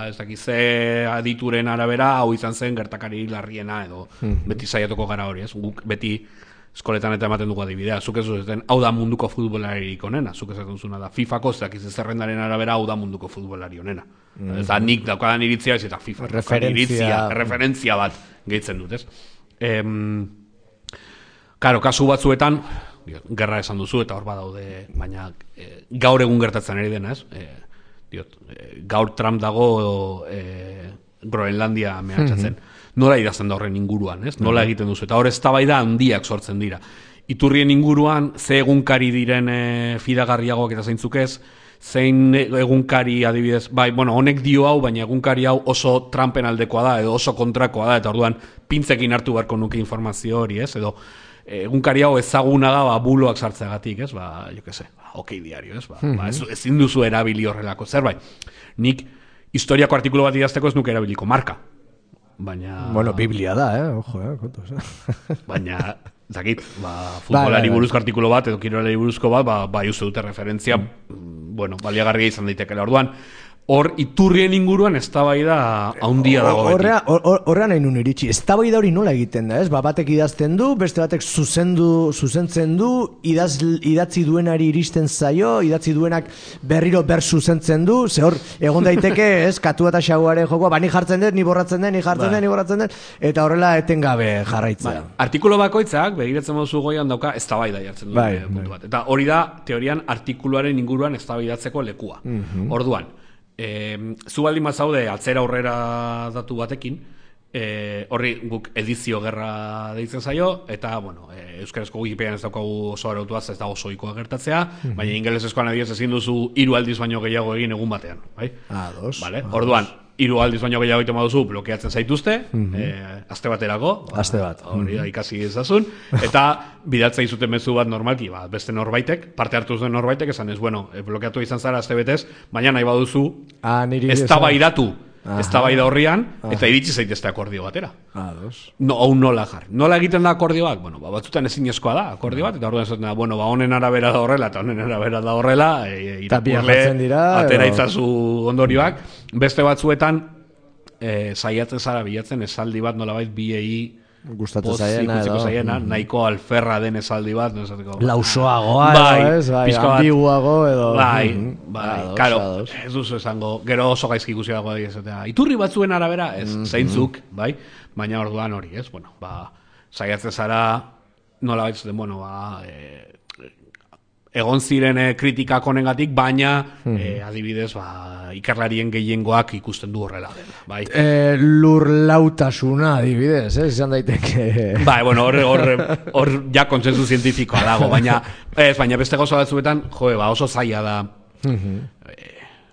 [SPEAKER 3] ez dakize adituren arabera, hau izan zen gertakari larriena, edo beti saiatuko gara hori, ez? Guk beti eskoletan eta ematen dugu adibidea, zuk ez duten, hau da munduko futbolaririk onena, zuk ez duzuna da, FIFA-ko, ez dakize zerrendaren arabera, hau da munduko futbolari onena. Ez da nik daukadan iritzia, ez eta FIFA, referentzia bat gehitzen dut, ez? Karo, kasu batzuetan, gerra esan duzu eta hor badaude, baina gaur egun gertatzen ari dena, ez? Gaur Trump dago Groenlandia mehatxatzen. Nola idazten da horren inguruan, ez? Nola egiten duzu? Eta hor eztabaida handiak sortzen dira. Iturrien inguruan, ze egunkari diren fidagarriagoak eta zeintzuk ez, zein egunkari adibidez, honek dio hau, baina egunkari hau oso Trumpen aldekoa da, edo oso kontrakoa da, eta orduan pintzekin hartu beharko nuke informazio hori, ez? Edo egunkari hau ezaguna da buloak sartzeagatik, ez? Jo que se, OK Diario, ez? Ezin duzu erabili horrelako zerbait. Nik historiako artikulu bat idazteko ez nuke erabiliko marka. Baina...
[SPEAKER 1] Bueno, Biblia da, ojo, kontos.
[SPEAKER 3] Baina, zakit, futbolari buruzko artikulu bat, edo kirolari buruzko bat, uste dute referentzia, baliagarria izan daitekela. Orduan, hor iturrien inguruan eztabaida handia dago beti.
[SPEAKER 1] Horrean nahi nun iritsi. Eztabaida hori nola egiten da, ez? Batek idazten du, beste batek zuzentzen du, idatzi duenari iristen zaio, idatzi duenak berriro zuzentzen du, ze hor, egon daiteke, ez? Katua eta xaguaren jokoa, ni jartzen dut, ni borratzen dut, ni borratzen dut, eta horrela etengabe jarraitzea.
[SPEAKER 3] Artikulu bakoitzak, begiratzen moduzu goian dauka, eztabaida jartzen du puntu bat. Eta hori da, teorian, artikuluaren inguruan eztabaidatzeko lekua. Orduan, zu baldin mazaude atzera aurrera datu batekin, horri guk edizio gerra deitzen zaio, eta, euskarazko Wikipedian ez daukagu oso arautuaz, ez da oso ikoa gertatzea, baina ingelesezkoan adibidez ezin duzu 3 aldiz baino gehiago egin egun batean, bai?
[SPEAKER 1] Dos.
[SPEAKER 3] Orduan, 3 aldiz baino gehiago egiten baduzu, blokeatzen zaituzte, aste baterako.
[SPEAKER 1] Aste bat.
[SPEAKER 3] Hori da, ikasi ezazun. Eta bidaltzen izuten mezu bat normalki, beste norbaitek, parte hartu zuen norbaitek, esan ez, bueno, blokeatu izan zara aste betez, baina nahi baduzu, eztabaidatu. Eztabaida horrian, eta iritsi zaitezte akordio batera. Hau nola jar. Nola egiten da akordio bat? Bueno, batzutan ezinezkoa da akordio bat, eta orduan esaten da, bueno, honen arabera da horrela, eta honen arabera da horrela, irakurle atera itzazu ondorioak. Beste batzuetan, saiatzen zara bilatzen esaldi bat nolabait biei
[SPEAKER 1] gustatzen zaiena,
[SPEAKER 3] nahiko alferra den esaldi bat, no esateko.
[SPEAKER 1] Lausoagoa, ambiguago edo.
[SPEAKER 3] Claro, ez duzu esango, gero oso gaizki ikusiago esatea. Iturri batzuen arabera, ez, zeintzuk, bai, baina orduan hori, ez, bueno, saiatzen zara nola baitzuten, bueno, egon ziren kritikak honengatik, baina adibidez, ikerlarien gehiengoak ikusten du horrela dela, bai.
[SPEAKER 1] Lurlautasuna adibidez, izan daiteke.
[SPEAKER 3] Bai, bueno, hor ja kontsensu zientifikoa dago, baina beste gauza batzuetan, oso zaila da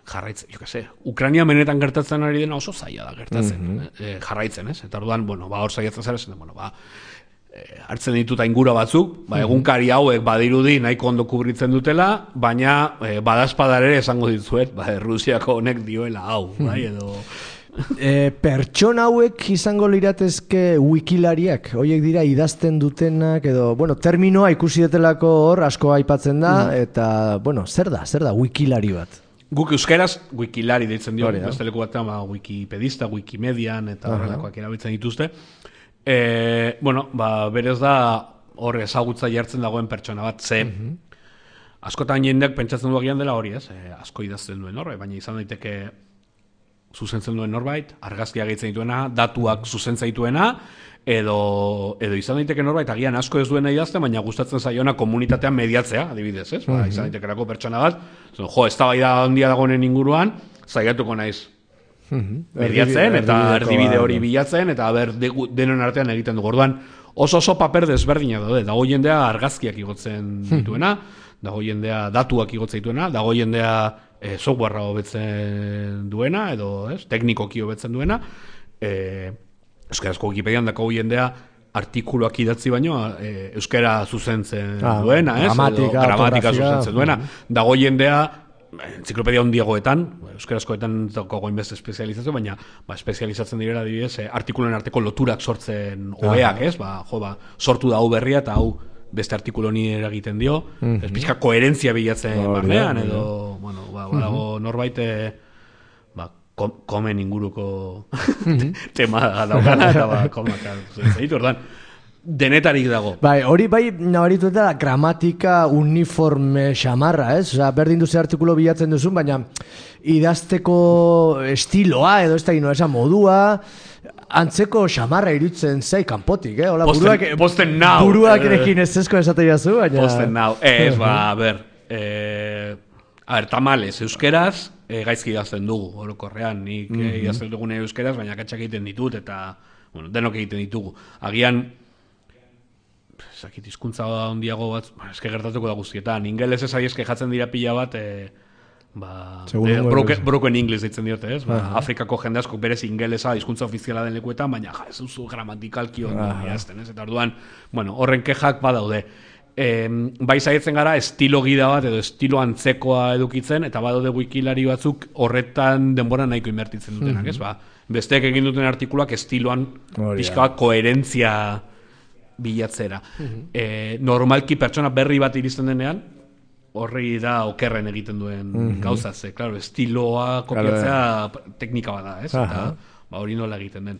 [SPEAKER 3] jarraitzen, jo que se, Ukraina benetan gertatzen ari dena oso zaila da gertatzen, jarraitzen, ez? Eta orduan, bueno, hor saiatzen zara, bueno, hartzen dituta ingura batzuk, egunkari hauek badirudi nahiko ondo kubritzen dutela, baina badazpadar ere esango ditzuet, Rusiako honek dioela hau, bai, edo...
[SPEAKER 1] Pertsona hauek izango liratezke wikilariak, horiek dira idazten dutenak, edo, bueno, terminoa ikusi detelako hor asko aipatzen da, eta, bueno, zer da wikilari bat?
[SPEAKER 3] Guk euskeraz wikilari deitzen dio, beste leku batean wikipedista, wikimedian, eta horrelakoak erabiltzen dituzte. Bueno, berez da hor ezagutza jartzen dagoen pertsona bat, ze askotan jendeak pentsatzen duagian dela hori, ez? Asko idazten duen hor, baina izan daiteke zuzentzen duen norbait, argazkia gehitzen dituena, datuak zuzentzen dituena, edo izan daiteke norbait, agian asko ez duena idazten, baina gustatzen zaiona komunitatean mediatzea, adibidez, ez? Izan daitekerako pertsona bat, eztabaida handia dagoenen inguruan, zaiatuko naiz mediatzen, eta erdibide hori bilatzen, eta denon artean egiten dugu. Orduan, oso paper desberdina daude, dago jendea argazkiak igotzen dituena, dago jendea datuak igotzen dituena, dago jendea softwarea hobetzen duena, edo teknikoki hobetzen duena, euskarazko Wikipedian dago jendea artikuluak idatzi baino euskara zuzentzen duena, gramatika zuzentzen duena, dago jendea entziklopedia handiagoetan, euskarazkoetan gogoin beste espezializazio, baina espezializatzen direla adibidez, artikuloen arteko loturak sortzen hobeak, ez? Sortu da hau berria eta hau beste artikulo ni eragiten dio, ez pixka koherentzia bilatzen barnean, edo, bueno, badago norbait komen inguruko tema daukana, eta komak zaitu, ordan, denetarik dago.
[SPEAKER 1] Bai, hori bai nabaritu eta gramatika uniforme xamarra, ez? Osa, berdin duze artikulo bilatzen duzun, baina idazteko estiloa, edo ez da gino esan modua, antzeko xamarra irutzen zai kanpotik, Hola,
[SPEAKER 3] posten nau.
[SPEAKER 1] Buruak erekin ez ezko esate jazu, baina...
[SPEAKER 3] Posten nau. Ez, tamales, euskeraz, gaizki idazten dugu, orokorrean, nik idazten dugune euskeraz, baina katxak egiten ditut, eta, bueno, denok egiten ditugu. Agian, zakit, hizkuntza handiago bat, eske gertatuko da guztietan. Ingeles ez eske jatzen dira pila bat, broken English ditzen diote, ez? Afrikako jende asko berez ingelesa hizkuntza ofiziala den lekuetan, baina ez duzu gramatikalki ondo idazten, ez? Eta orduan, bueno, horren kexak badaude. Bai saietzen gara estilo gida bat edo estilo antzekoa edukitzen, eta badaude wikilari batzuk horretan denbora nahiko inbertitzen dutenak, ez? Besteek egin duten artikuluak estiloan pixka bat koherentzia bilatzera. Normalki pertsona berri bat iristen denean, horri da okerren egiten duen gauza, ze, claro, estiloa kopiatzea teknika bat da, ez? Eta hori nola egiten den.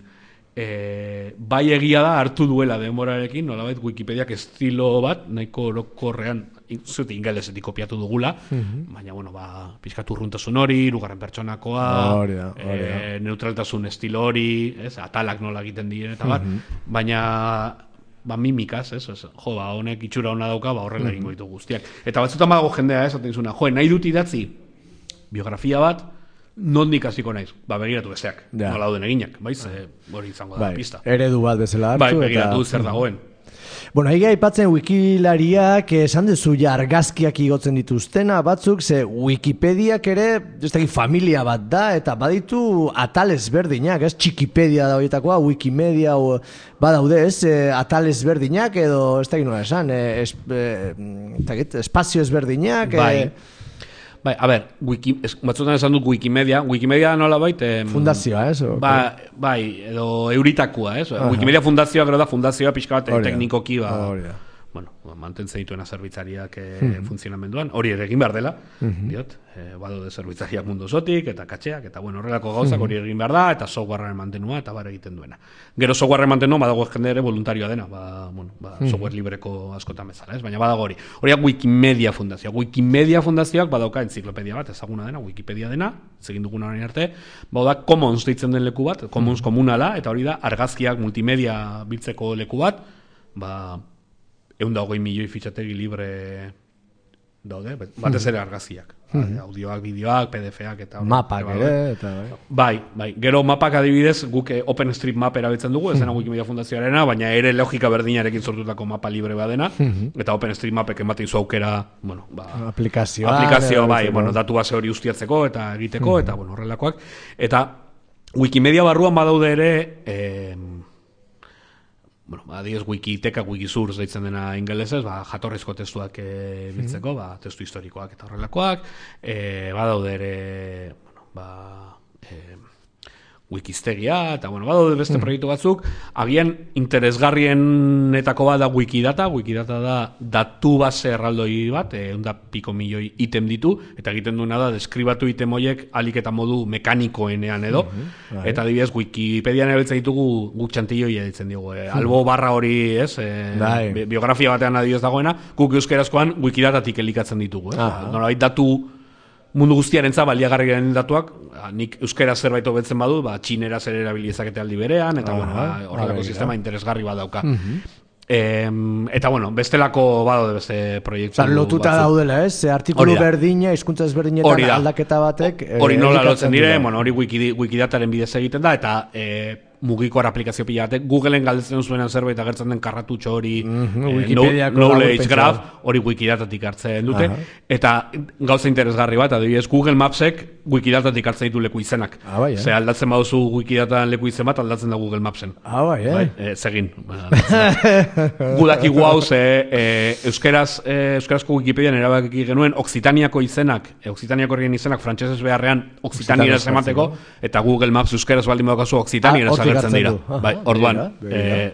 [SPEAKER 3] Bai egia da hartu duela denborarekin, nolabait Wikipediak estilo bat, nahiko orokorrean, zute ingelesetik kopiatu dugula, baina, bueno, pixkatu urruntasun hori, hirugarren pertsonakoa, neutraltasun estilo hori, atalak nola egiten diren, eta baina mimikaz, honek itxura hona dauka, horrela egingo ditu guztiak. Eta batzutan badago jendea, esaten zuna, nahi dut idatzi biografia bat, nondik hasiko naiz? Begiratu besteak, nola dauden eginak, hori izango da pista.
[SPEAKER 1] Eredu bat bezala hartu.
[SPEAKER 3] Begiratu zer dagoen.
[SPEAKER 1] Bueno, egia aipatzen wikilariak esan duzu ja argazkiak igotzen dituztena batzuk, ze Wikipediak ere, ez dakit familia bat da, eta baditu atal ezberdinak, ez? Txikipedia da horietakoa, Wikimedia badaude, ez? Atal ezberdinak edo, ez dakit nola esan, espazio ezberdinak,
[SPEAKER 3] Bai, a ber, batzutan esan dut Wikimedia nola bait...
[SPEAKER 1] fundazioa, ez?
[SPEAKER 3] Bai, edo euritakua, ez? Wikimedia fundazioa, gero da fundazioa pixka bat teknikoki, bueno, mantentzen dituena zerbitzariak funtzionamenduan, hori ere egin behar dela, diot, badaude zerbitzariak mundu osotik, eta katxeak, eta bueno, horrelako gauzak hori egin behar da, eta softwarearen mantenua, eta bare egiten duena. Gero softwarearen mantenua badago jende ere voluntarioa dena, software libreko askotan bezala, ez? Baina badago hori. Horiak Wikimedia fundazioa. Wikimedia fundazioak badauka entziklopedia bat, ezaguna dena, Wikipedia dena, egin duguna orain arte, da Commons deitzen den leku bat, Commons komunala, eta hori da argazkiak multimedia biltzeko leku bat, 120 milioi fitxategi libre daude, batez ere argazkiak. Audioak, bideoak, PDF-ak eta...
[SPEAKER 1] Mapak ere, eta...
[SPEAKER 3] Bai, gero mapak adibidez, guk OpenStreetMap erabiltzen dugu, ez dena Wikimedia fundazioarena, baina ere logika berdinarekin sortutako mapa libre badena, eta OpenStreetMapek ematen zu aukera, bueno, aplikazioa, bai, bueno, datu base hori ustiatzeko eta egiteko, eta, bueno, horrelakoak. Eta Wikimedia barruan badaude ere... Bueno, adibidez Wikiteka, Wikisource deitzen dena ingelesez, jatorrizko testuak biltzeko, testu historikoak eta horrelakoak, badaude ere, Wikistegia, eta bueno, badaude beste proiektu batzuk, agian interesgarrienetako bat da Wikidata da datu base erraldoi bat, 100 milioi item ditu, eta egiten duena da deskribatu item horiek alik eta modu mekanikoenean edo, eta adibidez Wikipedian erabiltzen ditugu guk txantilloi editzen dugu, albo barra hori, ez, biografia batean adibidez dagoena, guk euskerazkoan Wikidatatik elikatzen ditugu, nolabait datu mundu guztiarentzat baliagarriaren datuak, nik euskera zerbait hobetzen badu, txinera zer erabilizakete aldi berean, eta horrelako sistema interesgarri bat dauka. Eta bueno, bestelako badaude beste proiektu.
[SPEAKER 1] Lotuta daudela, ez? Artikulu berdina, hizkuntza ezberdinetan aldaketa batek...
[SPEAKER 3] Hori nola lotzen dire, hori Wikidataren bidez egiten da, eta mugiko aplikazio pila batek, Googleen galdetzen zuenan zerbait agertzen den karratutxo hori knowledge graph, hori Wikidatatik hartzen dute, eta gauza interesgarri bat, adibidez Google Mapsek Wikidatatik hartzen ditu leku izenak. Ze aldatzen baduzu Wikidatan leku izen bat, aldatzen da Google Mapsen. Zegin. Gudakigu hau, euskarazko Wikipedian erabaki genuen Occitaniako izenak, Occitaniako horien izenak frantsesez beharrean Occitanieraz emateko, eta Google Maps euskaraz baldin badaukazu Occitanieraz agertzen dira. Orduan,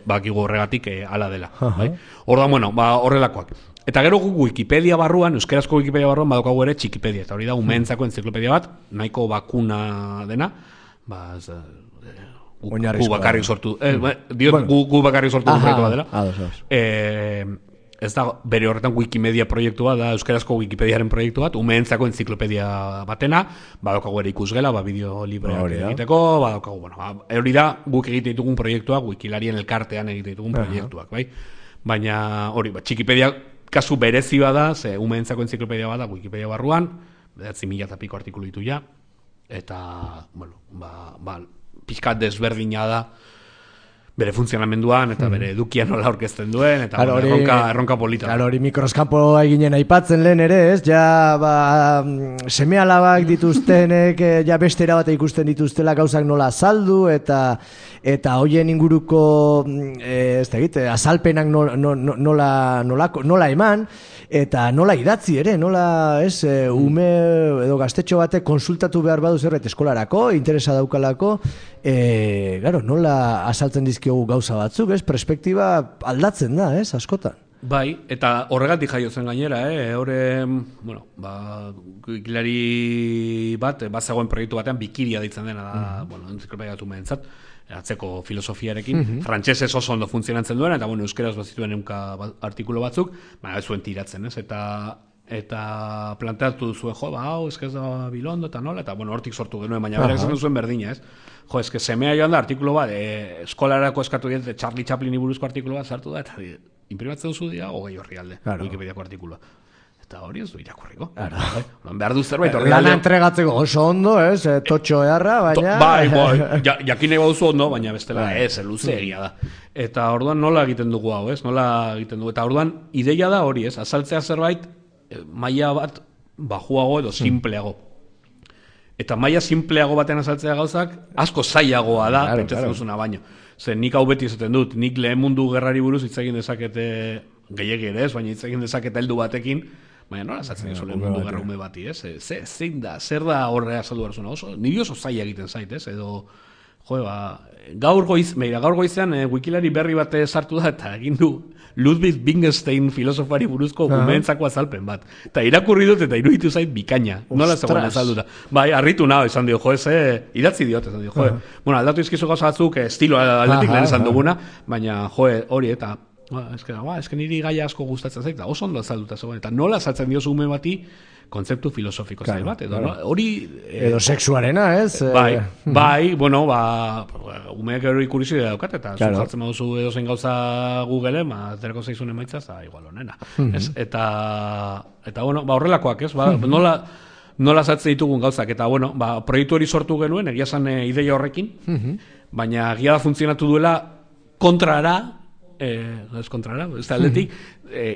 [SPEAKER 3] bakigu horregatik ala dela. Orduan, bueno, horrelakoak. Eta gero guk Wikipedia barruan, euskarazko Wikipedia barruan badaukagu ere txikipedia, eta hori da umeentzako entziklopedia bat, nahiko bakuna dena, gu bakarrik sortu, gu bakarrik sortu proiektu bat dela. Ez da, bere horretan Wikimedia proiektu bat da, euskarazko Wikipediaren proiektu bat, umeentzako entziklopedia batena, badaukagu ere ikusgela, bideo libreak egiteko, badaukagu, bueno, hori da, guk egite ditugun proiektuak, Wikilarien elkartean egite ditugun proiektuak, bai? Baina, hori, Txikipedia kasu berezi bada, ze umeentzako entziklopedia bada, Wikipedia barruan, 9.000 eta piko artikulu ditu ja, eta, bueno, pixkat desberdina da, bere funtzionamenduan, eta bere edukian nola aurkezten duen, eta erronka polita.
[SPEAKER 1] Hori mikroskapo eginen aipatzen lehen ere, ez? Ja, seme alabak dituztenek, ja beste erabate ikusten dituztela gauzak nola azaldu, eta hoien inguruko, ez da egite, azalpenak nola eman, eta nola idatzi ere, nola, ez, ume edo gaztetxo batek konsultatu behar badu zerbait eskolarako, interesa daukalako, nola azaltzen dizkiogu gauza batzuk, ez, perspektiba aldatzen da, ez, askotan.
[SPEAKER 3] Bai, eta horregatik jaiotzen gainera, bueno, Wikilari bat, bazegoen proiektu batean, Bikiria deitzen dena da, bueno, entziklopedia batu mehentzat, atzeko filosofiarekin, frantsesez oso ondo funtzionatzen duen, eta bueno, euskeraz bazituen artikulu batzuk, baina ez zuen tiratzen, ez, eta planteatu zuen, hau, ez da bilondo, eta nola, eta bueno, hortik sortu genuen, baina berak esaten zuen berdina, ez, ez semea joan da artikulu bat, eskolarako eskatu diet, Charlie Chaplini buruzko artikulu bat sartu da, eta imprimatzen duzu dira, 20 orrialde, Wikipediako artikulua. Eta hori ez du irakurriko.
[SPEAKER 1] Behar
[SPEAKER 3] du zerbait.
[SPEAKER 1] Lana entregatzeko oso ondo, totxo eharra, baina...
[SPEAKER 3] Bai, jakin nahi bauzu ondo, baina bestela luze egia da. Eta orduan nola egiten dugu hau, nola egiten dugu. Eta orduan ideia da hori, azaltzea zerbait, maila bat bajuago edo simpleago. Eta maila simpleago baten azaltzea gauzak, asko zailagoa da, pentsatzen duzuna baino. Zer, nik hau beti izaten dut, nik lehen mundu gerrari buruz hitz egin dezakete gehiegi ere, baina hitz egin dezakete heldu batekin, baina nola azaltzen dizu lehen mundu gerra ume bati, zein da, zer da horre azaldu behar zuna, niri oso zaila egiten zait, edo, gaur goizean Wikilari berri bat sartu da, eta egin du Ludwig Wittgenstein filosofari buruzko umeentzako azalpen bat. Eta irakurri dut eta iruditu zait bikaina. Nola zegoen azalduta. Bai, harritu nahi, esan dio, idatzi diot, esan dio, Bueno, aldatu izkizu gauza batzuk, estilo aldetik lehen esan duguna, baina, hori, eta, eske niri gaia asko gustatzen zait, oso ondo azalduta zegoen, eta nola azaltzen diozu ume bati, kontzeptu filosofiko zail bat, edo hori...
[SPEAKER 1] Edo sexuarena, ez?
[SPEAKER 3] Bai, bueno, umeak ero ikurrizu daukat, eta jartzen baduzu edo zein gauza Googleen, aterako zaizun emaitza, eta igual honena. Eta, bueno, horrelakoak, ez? Nola zatzen ditugun gauzak, eta, bueno, proiektu hori sortu genuen, egia zan ideia horrekin, baina egia da funtzionatu duela kontrara, ez kontrara, ez da aldetik,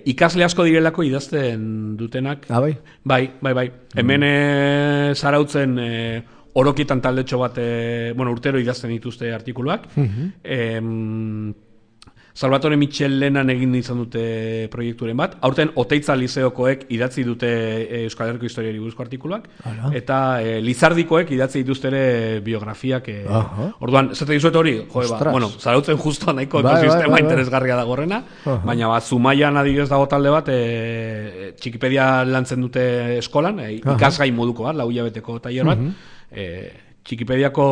[SPEAKER 3] ikasle asko direlako idazten dutenak. Bai. Hemen zarautzen orokietan taldetxo bat, urtero idazten dituzte artikuluak. Salvatore Michel lehenan egin izan dute proiekturen bat. Aurten Oteitza Lizeokoek idatzi dute Euskal Herriko historiari buruzko artikuluak. Eta Lizardikoek idatzi dituzte ere biografiak. Orduan, zete dizuet hori, zarautzen justo nahiko ekosistema interesgarria da gorrena, baina Zumaian adibidez dago talde bat, Txikipedia lantzen dute eskolan, ikasgai moduko bat, 4 hilabeteko tailer bat, Txikipediako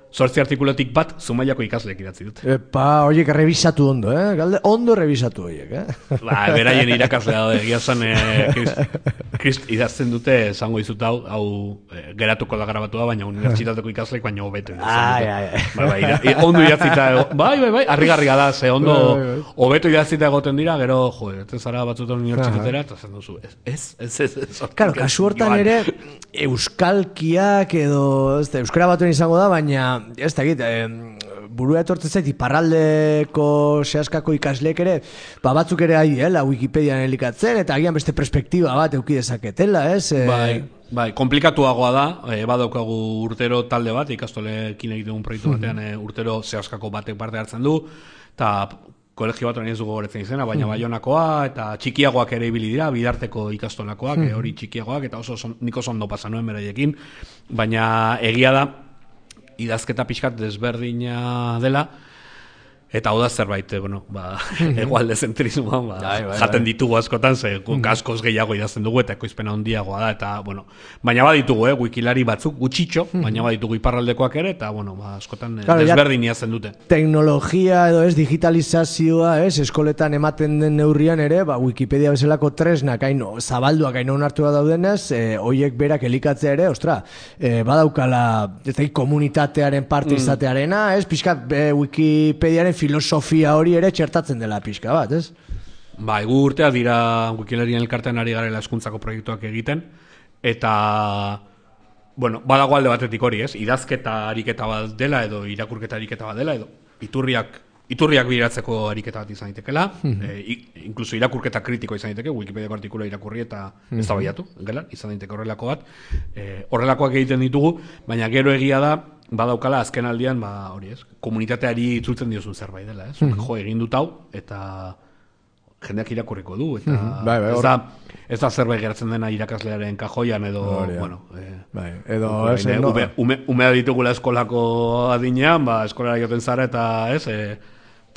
[SPEAKER 3] 8 artikulotik bat Zumaiako ikasleek idatzi dute.
[SPEAKER 1] Horiek revisatu ondo, Galde, ondo revisatu horiek,
[SPEAKER 3] Beraien irakaslea da, egia zan, Krist idazten dute, esango dizut hau geratuko da grabatua, baina unibertsitateko ikasleek baina hobeto idazten. Ondo idatzita, bai, harrigarria da, ze ondo hobeto idatzita egoten dira, gero, etzen zara batzutan unibertsitatera, eta zen duzu, ez.
[SPEAKER 1] Karo, kasu hortan ere, euskalkiak edo, euskara batuen izango da, baina ez da egit, burua etortzen zait, iparraldeko sehaskako ikasleek ere, batzuk ere la Wikipedian elikatzen, eta agian beste perspektiba bat euki dezaketela, ez?
[SPEAKER 3] Bai, komplikatuagoa da, badaukagu urtero talde bat, ikastolekin egiten un proiektu batean urtero sehaskako batek parte hartzen du, eta kolegio bat ez dugu goretzen izena, baina Baionakoa, eta txikiagoak ere ibili dira, bidarteko ikastolakoak, hori txikiagoak, eta nik oso ondo pasa nuen beraiekin, baina egia da, idazketa pixkat desberdina dela, eta hau da zerbait, egualde zentrismoa, jaten ditugu askotan, askoz gehiago idazten dugu, eta ekoizpena handiagoa da, eta, baina baditugu, Wikilari batzuk, gutxitxo, baina baditugu iparraldekoak ere, eta, askotan desberdin idazten dute.
[SPEAKER 1] Teknologia edo digitalizazioa, eskoletan ematen den neurrian ere, Wikipedia bezalako tresnak, zabalduak haino onartua daudenez, hoiek berak elikatzea ere, badaukala, komunitatearen parte izatearena, pixkat Wikipediaren filosofia hori ere txertatzen dela pixka bat, ez?
[SPEAKER 3] Bai, gu urteak dira Wikilarien elkartean ari garela hezkuntzako proiektuak egiten, eta, badago alde batetik hori, ez? Idazketa ariketa bat dela, edo irakurketa ariketa bat dela, edo iturriak bideratzeko ariketa bat izan daitekela, inkluso irakurketa kritiko izan daiteke, Wikipediako artikula irakurri eta eztabaidatu, izan daiteke horrelako bat. Horrelakoak egiten ditugu, baina gero egia da, badaukala azken aldian, hori ez, komunitateari itzultzen diozun zerbait dela, ez? Egin dut hau, eta jendeak irakurriko du, eta ez da zerbait geratzen dena irakaslearen kajoian, edo, umea ditugula eskolako adinean, eskolara joten zara, eta ez,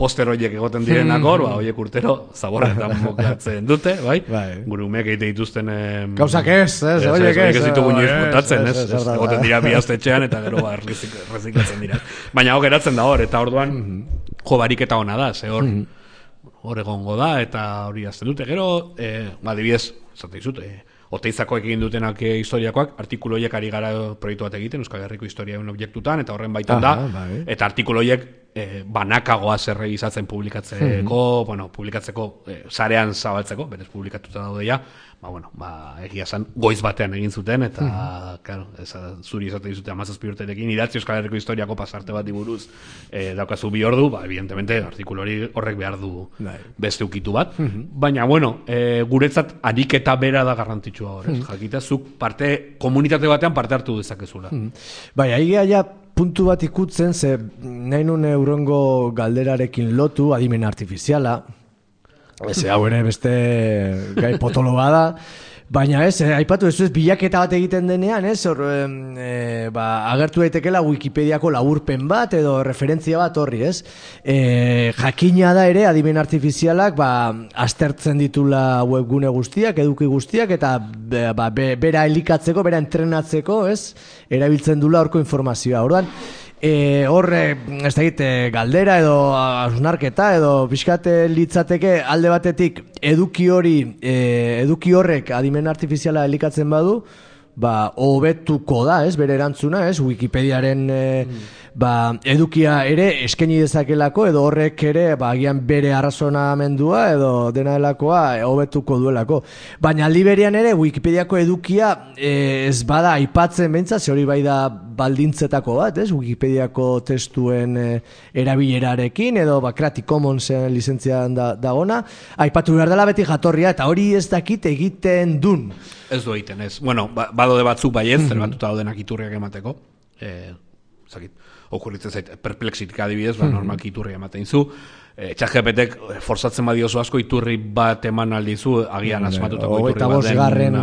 [SPEAKER 3] poster horiek egoten direnak hor, horiek urtero zaborretan mokatzen dute, gure umeak egite dituzten...
[SPEAKER 1] Gauzak ez, horiek ez.
[SPEAKER 3] Ez ditugu nioiz montatzen, ez? Egoten dira bihaztetxean eta gero reziklatzen dira. Baina hor geratzen da hor, eta orduan bariketa hona da, ze hor egongo da, eta hori azten dute. Gero, adibidez, zate dizut, Oteizakoek egin dutenak historiakoak, artikuloiek ari gara proiektu bat egiten, Euskal Herriko historiaen objektutan, eta horren baitan da, eta artikuloiek banakagoa zerrebizatzen publikatzeko, publikatzeko sarean zabaltzeko, berez publikatuta daude ja, egia esan goiz batean egin zuten, eta, claro, zuri izate dizute 17 urterekin, idatzi Euskal Herriko historiako pasarte bat buruz daukazu 2 ordu, evidentemente, artikulu hori horrek behar du beste ukitu bat, baina, guretzat ariketa bera da garrantzitsua hor, jakita, zuk komunitate batean parte hartu dezakezula.
[SPEAKER 1] Bai, aigea ja puntu bat ikutzen, ze nahi nun eurongo galderarekin lotu, adimen artifiziala, hau ere beste gai potolo bada, baina aipatu ez bilaketa bat egiten denean, agertu daitekela Wikipediako laburpen bat edo referentzia bat horri, jakina da ere adimen artifizialak aztertzen ditula webgune guztiak, eduki guztiak, eta bera elikatzeko, bera entrenatzeko, erabiltzen dula horko informazioa. Orduan, horre, ez da egite, galdera edo hausnarketa edo pixkate litzateke alde batetik eduki horrek adimen artifiziala elikatzen badu, hobetuko da, bere erantzuna, Wikipediaren edukia ere eskaini dezakelako edo horrek ere agian bere arrazonamendua edo dena delakoa hobetuko duelako. Baina aldi berean ere Wikipediako edukia ez bada aipatzen behintzat, hori bai da baldintzetako bat, Wikipediako testuen erabilerarekin edo Creative Commonsen lizentzian dagona, aipatu behar dela beti jatorria, eta hori ez dakit egiten dun.
[SPEAKER 3] Ez du egiten, ez. Badode batzuk bai ez, zerbatuta daudenak iturriak emateko. Okurritzen zait, perplexitik adibidez, normalki iturriak ematen zu. ChatGPTek forzatzen badiozu asko iturri bat eman aldizu, agian asmatutako iturri baten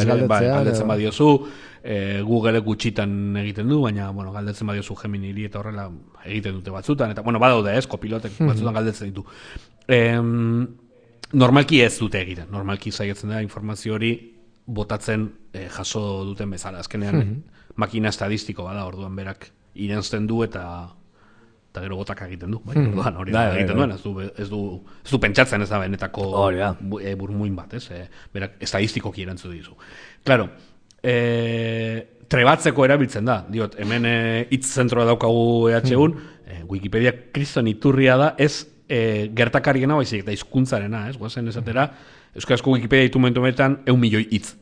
[SPEAKER 3] galdetzen badiozu. Google gutxitan egiten du, baina galdetzen badiozu Geminiri eta horrela egiten dute batzutan. Eta badaude kopilotek batzutan galdetzen ditu. Normalki ez dute egiten, normalki zaiatzen da informazio hori botatzen jaso duten bezala. Azkenean makina estadistiko bada, orduan berak irensten du eta gero botak egiten du. Orduan hori egiten duen, ez du pentsatzen ez da benetako burmuin bat, berak estadistikoki erantzu dizu. Claro, trebatzeko erabiltzen da, diot, hemen hitz zentroa daukagu EH-un, Wikipedia kriston iturria da, ez gertakariena baizik, da hizkuntzarena, guazen esatera, euskarazko Wikipedia ditu momentumetan 1 milioi hitz.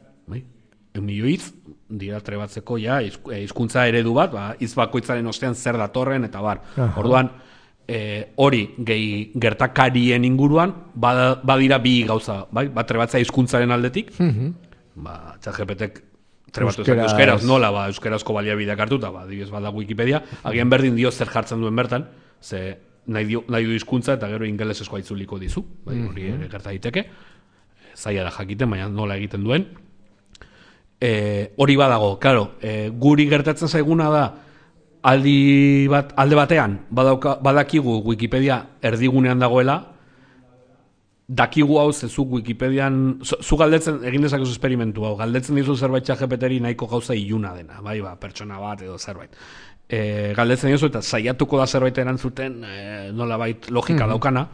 [SPEAKER 3] 1 milioi hitz, dira trebatzeko hizkuntza eredu bat, hitz bakoitzaren ostean zer datorren, eta bar. Orduan, hori gehi gertakarien inguruan, badira bi gauza, bat trebatzea hizkuntzaren aldetik, ChatGPTek trebatu ezak euskeraz, nola euskarazko baliabideak hartuta, adibidez bada Wikipedia, agian berdin dio zer jartzen duen bertan, ze nahi du hizkuntza eta gero ingeleseskoa itzuliko dizu, hori gerta daiteke, zaila da jakiten, baina nola egiten duen. Hori badago, claro, guri gertatzen zaiguna da, alde batean, badakigu Wikipedia erdigunean dagoela, dakigu hau zezuk Wikipedian, zu galdetzen, egin dezakezu esperimentu hau, galdetzen dizu zerbait ChatGPTri nahiko gauza iluna dena, pertsona bat edo zerbait. Galdetzen dizu eta saiatuko da zerbait erantzuten nolabait logika daukana.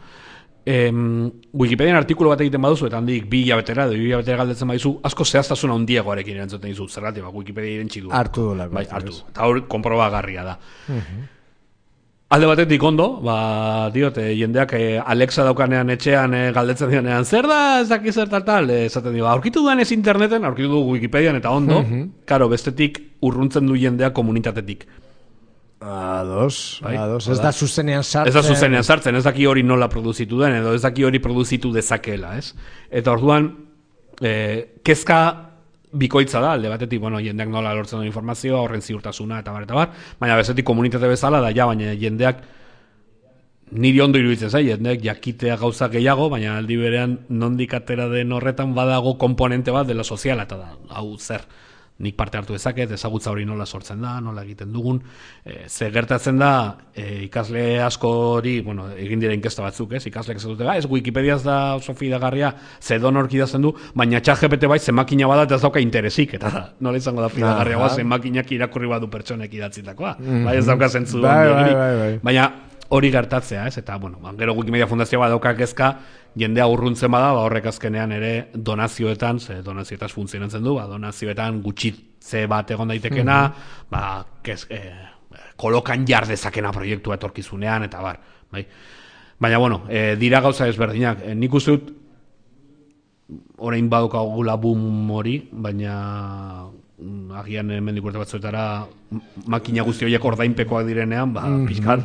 [SPEAKER 3] Wikipedian artikulu bat egiten baduzu eta handik 2 hilabetera edo 2 hilabetera galdetzen badizu, asko zehaztasuna handiagoarekin erantzuten dizu, zergatik Wikipedia irentsi du.
[SPEAKER 1] Hartu dolako.
[SPEAKER 3] Hartu. Eta hor konprobagarria da. Alde batetik ondo, diote, jendeak Alexa daukanean etxean galdetzen dionean, zer da, ez daki zer tal, esaten dio, aurkitu duan ez interneten, aurkitu du Wikipedian eta ondo, karo, bestetik urruntzen du jendeak komunitatetik.
[SPEAKER 1] Ados, ez da zuzenean sartzen.
[SPEAKER 3] Ez da zuzenean sartzen, ez daki hori nola produzitu den, edo ez daki hori produzitu dezakela, ez? Eta orduan, kezka bikoitza da, alde batetik, jendeak nola lortzen duen informazioa, horren ziurtasuna, eta bar, baina bezetik komunitate bezala da, baina jendeak niri ondo iruditzen zai, jendeak jakitea gauza gehiago, baina aldi berean nondik atera den horretan badago komponente bat dela soziala, eta da, hau zer, nik parte hartu dezaket, ezagutza hori nola sortzen da, nola egiten dugun, ze gertatzen da, ikasle askori, egin dira inkesta batzuk, ikasleak ez dute, ez Wikipediaz da oso fidagarria, ze donork idazten du, baina ChatGPT bai, ze makina bada eta ez dauka interesik, eta nola izango da fidagarria, ze makinak irakurri badu pertsonek idatzitakoa, bai ez dauka zentzu baina hori gertatzea, eta, gero Wikimedia Fundazioa badauka kezka, jendea urruntzen bada, horrek azkenean ere donazioetan, ze donazioetaz funtzionatzen du, donazioetan gutxitze bat egon daitekena, kolokan jar dezakena proiektua etorkizunean, eta bar, bai. Baina, bueno, dira gauza ezberdinak. Nik uste dut, orain badukagula boom hori, baina agian mendik urte batzuetara makina guzti horiek ordainpekoak direnean, pixkat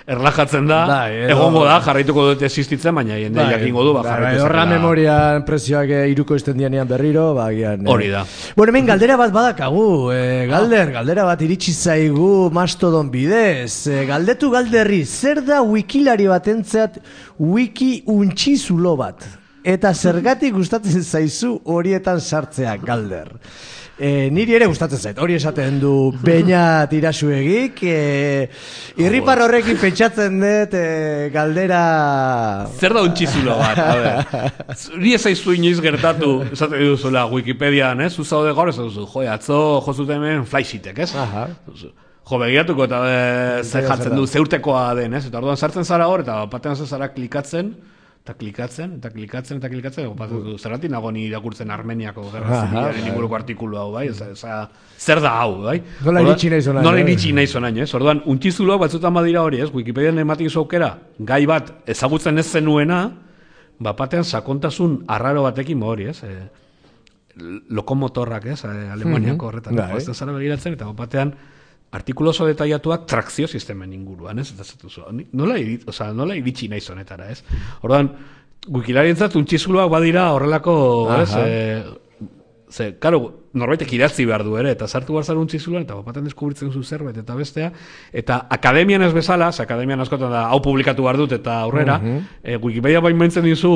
[SPEAKER 3] erlajatzen da, egongo da, jarraituko dut existitzen, baina jende jakingo du, jarraitu
[SPEAKER 1] horra memorian prezioak iruko izten dianean berriro, agian...
[SPEAKER 3] Hori da.
[SPEAKER 1] Bueno, hemen galdera bat badakagu, galdera bat iritsi zaigu Mastodon bidez, galdetu galderri, zer da wikilari batentzat wiki untxizulo bat? Eta zergatik gustatzen zaizu horietan sartzea, galder. Niri ere gustatzen zait, hori esaten du Beña Tirasuegik, irripar horrekin pentsatzen dut galdera...
[SPEAKER 3] Zer da untxizulo bat, a ber. Ni ez zaizu inoiz gertatu, esaten duzula Wikipedian, ez? Zuzaude gaur ez duzu, atzo jozuten hemen flysheetek, ez? Jo, begiratuko eta zer jartzen du, zeurtekoa den, ez? Eta orduan sartzen zara hor, eta batean zara klikatzen, eta klikatzen, zerratik nago ni irakurtzen Armeniako gerra zibilaren inguruko artikulu hau, bai? Zer da hau, bai?
[SPEAKER 1] Nola iritsi
[SPEAKER 3] nahi zonaino, ez? Orduan, untxizuloak batzutan badira hori, ez? Wikipedian ematik aukera, gai bat ezagutzen ez zenuena, batean sakontasun arraro batekin hori, ez? Lokomotorrak, ez? Alemaniako horretan, ez da zara begiratzen, eta batean artikulu oso detaiatuak trakzio sistemen inguruan, ez? Nola iritsi nahi zonetara, ez? Orduan, wikilarientzat untxizuloak badira horrelako, ez? Karo, norbaitek idatzi behar du ere, eta sartu behar zara untxizuloan, eta batean deskubritzen zu zerbait, eta bestea, eta akademian ez bezala, akademian askotan da, hau publikatu behar dut, eta aurrera, Wikipedia bain maintzen dizu,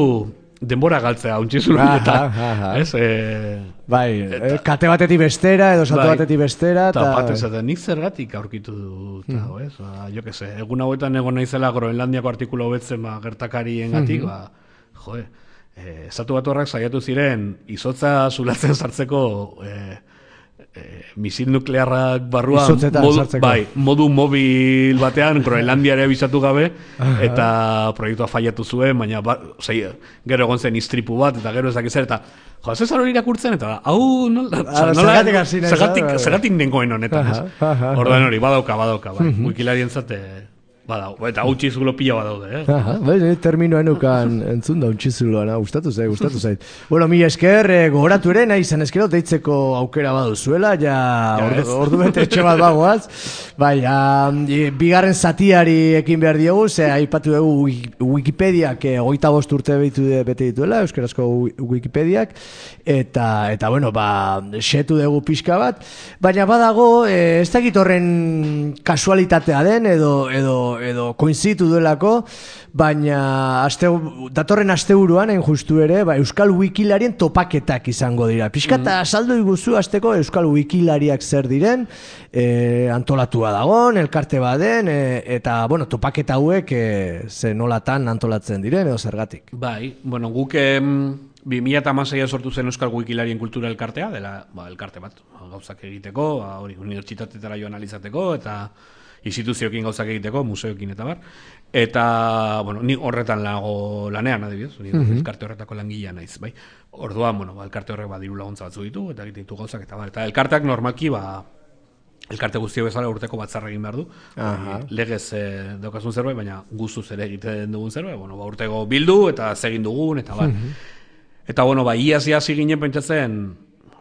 [SPEAKER 3] denbora galtzea, untxizuloan, eta, ez?
[SPEAKER 1] Kate batetik bestera, edo salto batetik bestera,
[SPEAKER 3] eta batezaten, nik zergatik aurkitu dut, ez? Jo que se, egun hauetan egon naizela Groenlandiako artikulu hobetzen gertakarien gatik, Estatu Batuarrak saiatu ziren izotza zulatzen sartzeko misil nuklearrak barruan modu mobil batean Groenlandiare abisatu gabe eta proiektua faiatu zuen, baina gero egon zen istripu bat eta gero ezak ezer eta Zezar hori irakurtzen eta hau zergatik nengoen honetan, ez? Ordan hori, badauka Wikilarientzat badau, eta untxizulo pila badaude,
[SPEAKER 1] terminoen ukan entzun da untxizuloa, gustatu zait. Bueno, mi esker, gogoratu ere, nahi izan eskero, deitzeko aukera baduzuela, ja ordu bete etxe bat bagoaz, bigarren zatiari ekin behar diogu, ze aipatu dugu Wikipediak 25 urte bete dituela, euskarazko Wikipediak, eta bueno, setu dugu pixka bat, baina badago, ez dakit horren kasualitatea den, edo koinzitu duelako, baina datorren asteburuan, justu ere, Euskal Wikilarien topaketak izango dira. Piskata saldo iguzu azteko Euskal Wikilariak zer diren, antolatua dagon, elkarte baden, eta, bueno, topaketa hauek ze nolatan antolatzen diren, edo zergatik.
[SPEAKER 3] Bueno, guk 2016 sortu zen Euskal Wikilarien kultura elkartea, dela elkarte bat, gauzak egiteko, hori unibertsitatetara joan alizateko, eta instituzioekin gauzak egiteko, museoekin eta bar. Eta, bueno, ni horretan lanean, adibidez, elkarte horretako langilea naiz, bai. Orduan, bueno, elkarte horrek diru laguntza batzu ditu, eta egiten ditu gauzak, eta bar. Eta elkarteak normalki, elkarte guztio bezala urteko batzarra egin behar du. Legez daukasun zerbait, baina guztuz ere egiten dugun zerbait, bueno, urteko bildu, eta zegin dugun, eta bar. Eta, bueno, iaz ginen pentsatzen,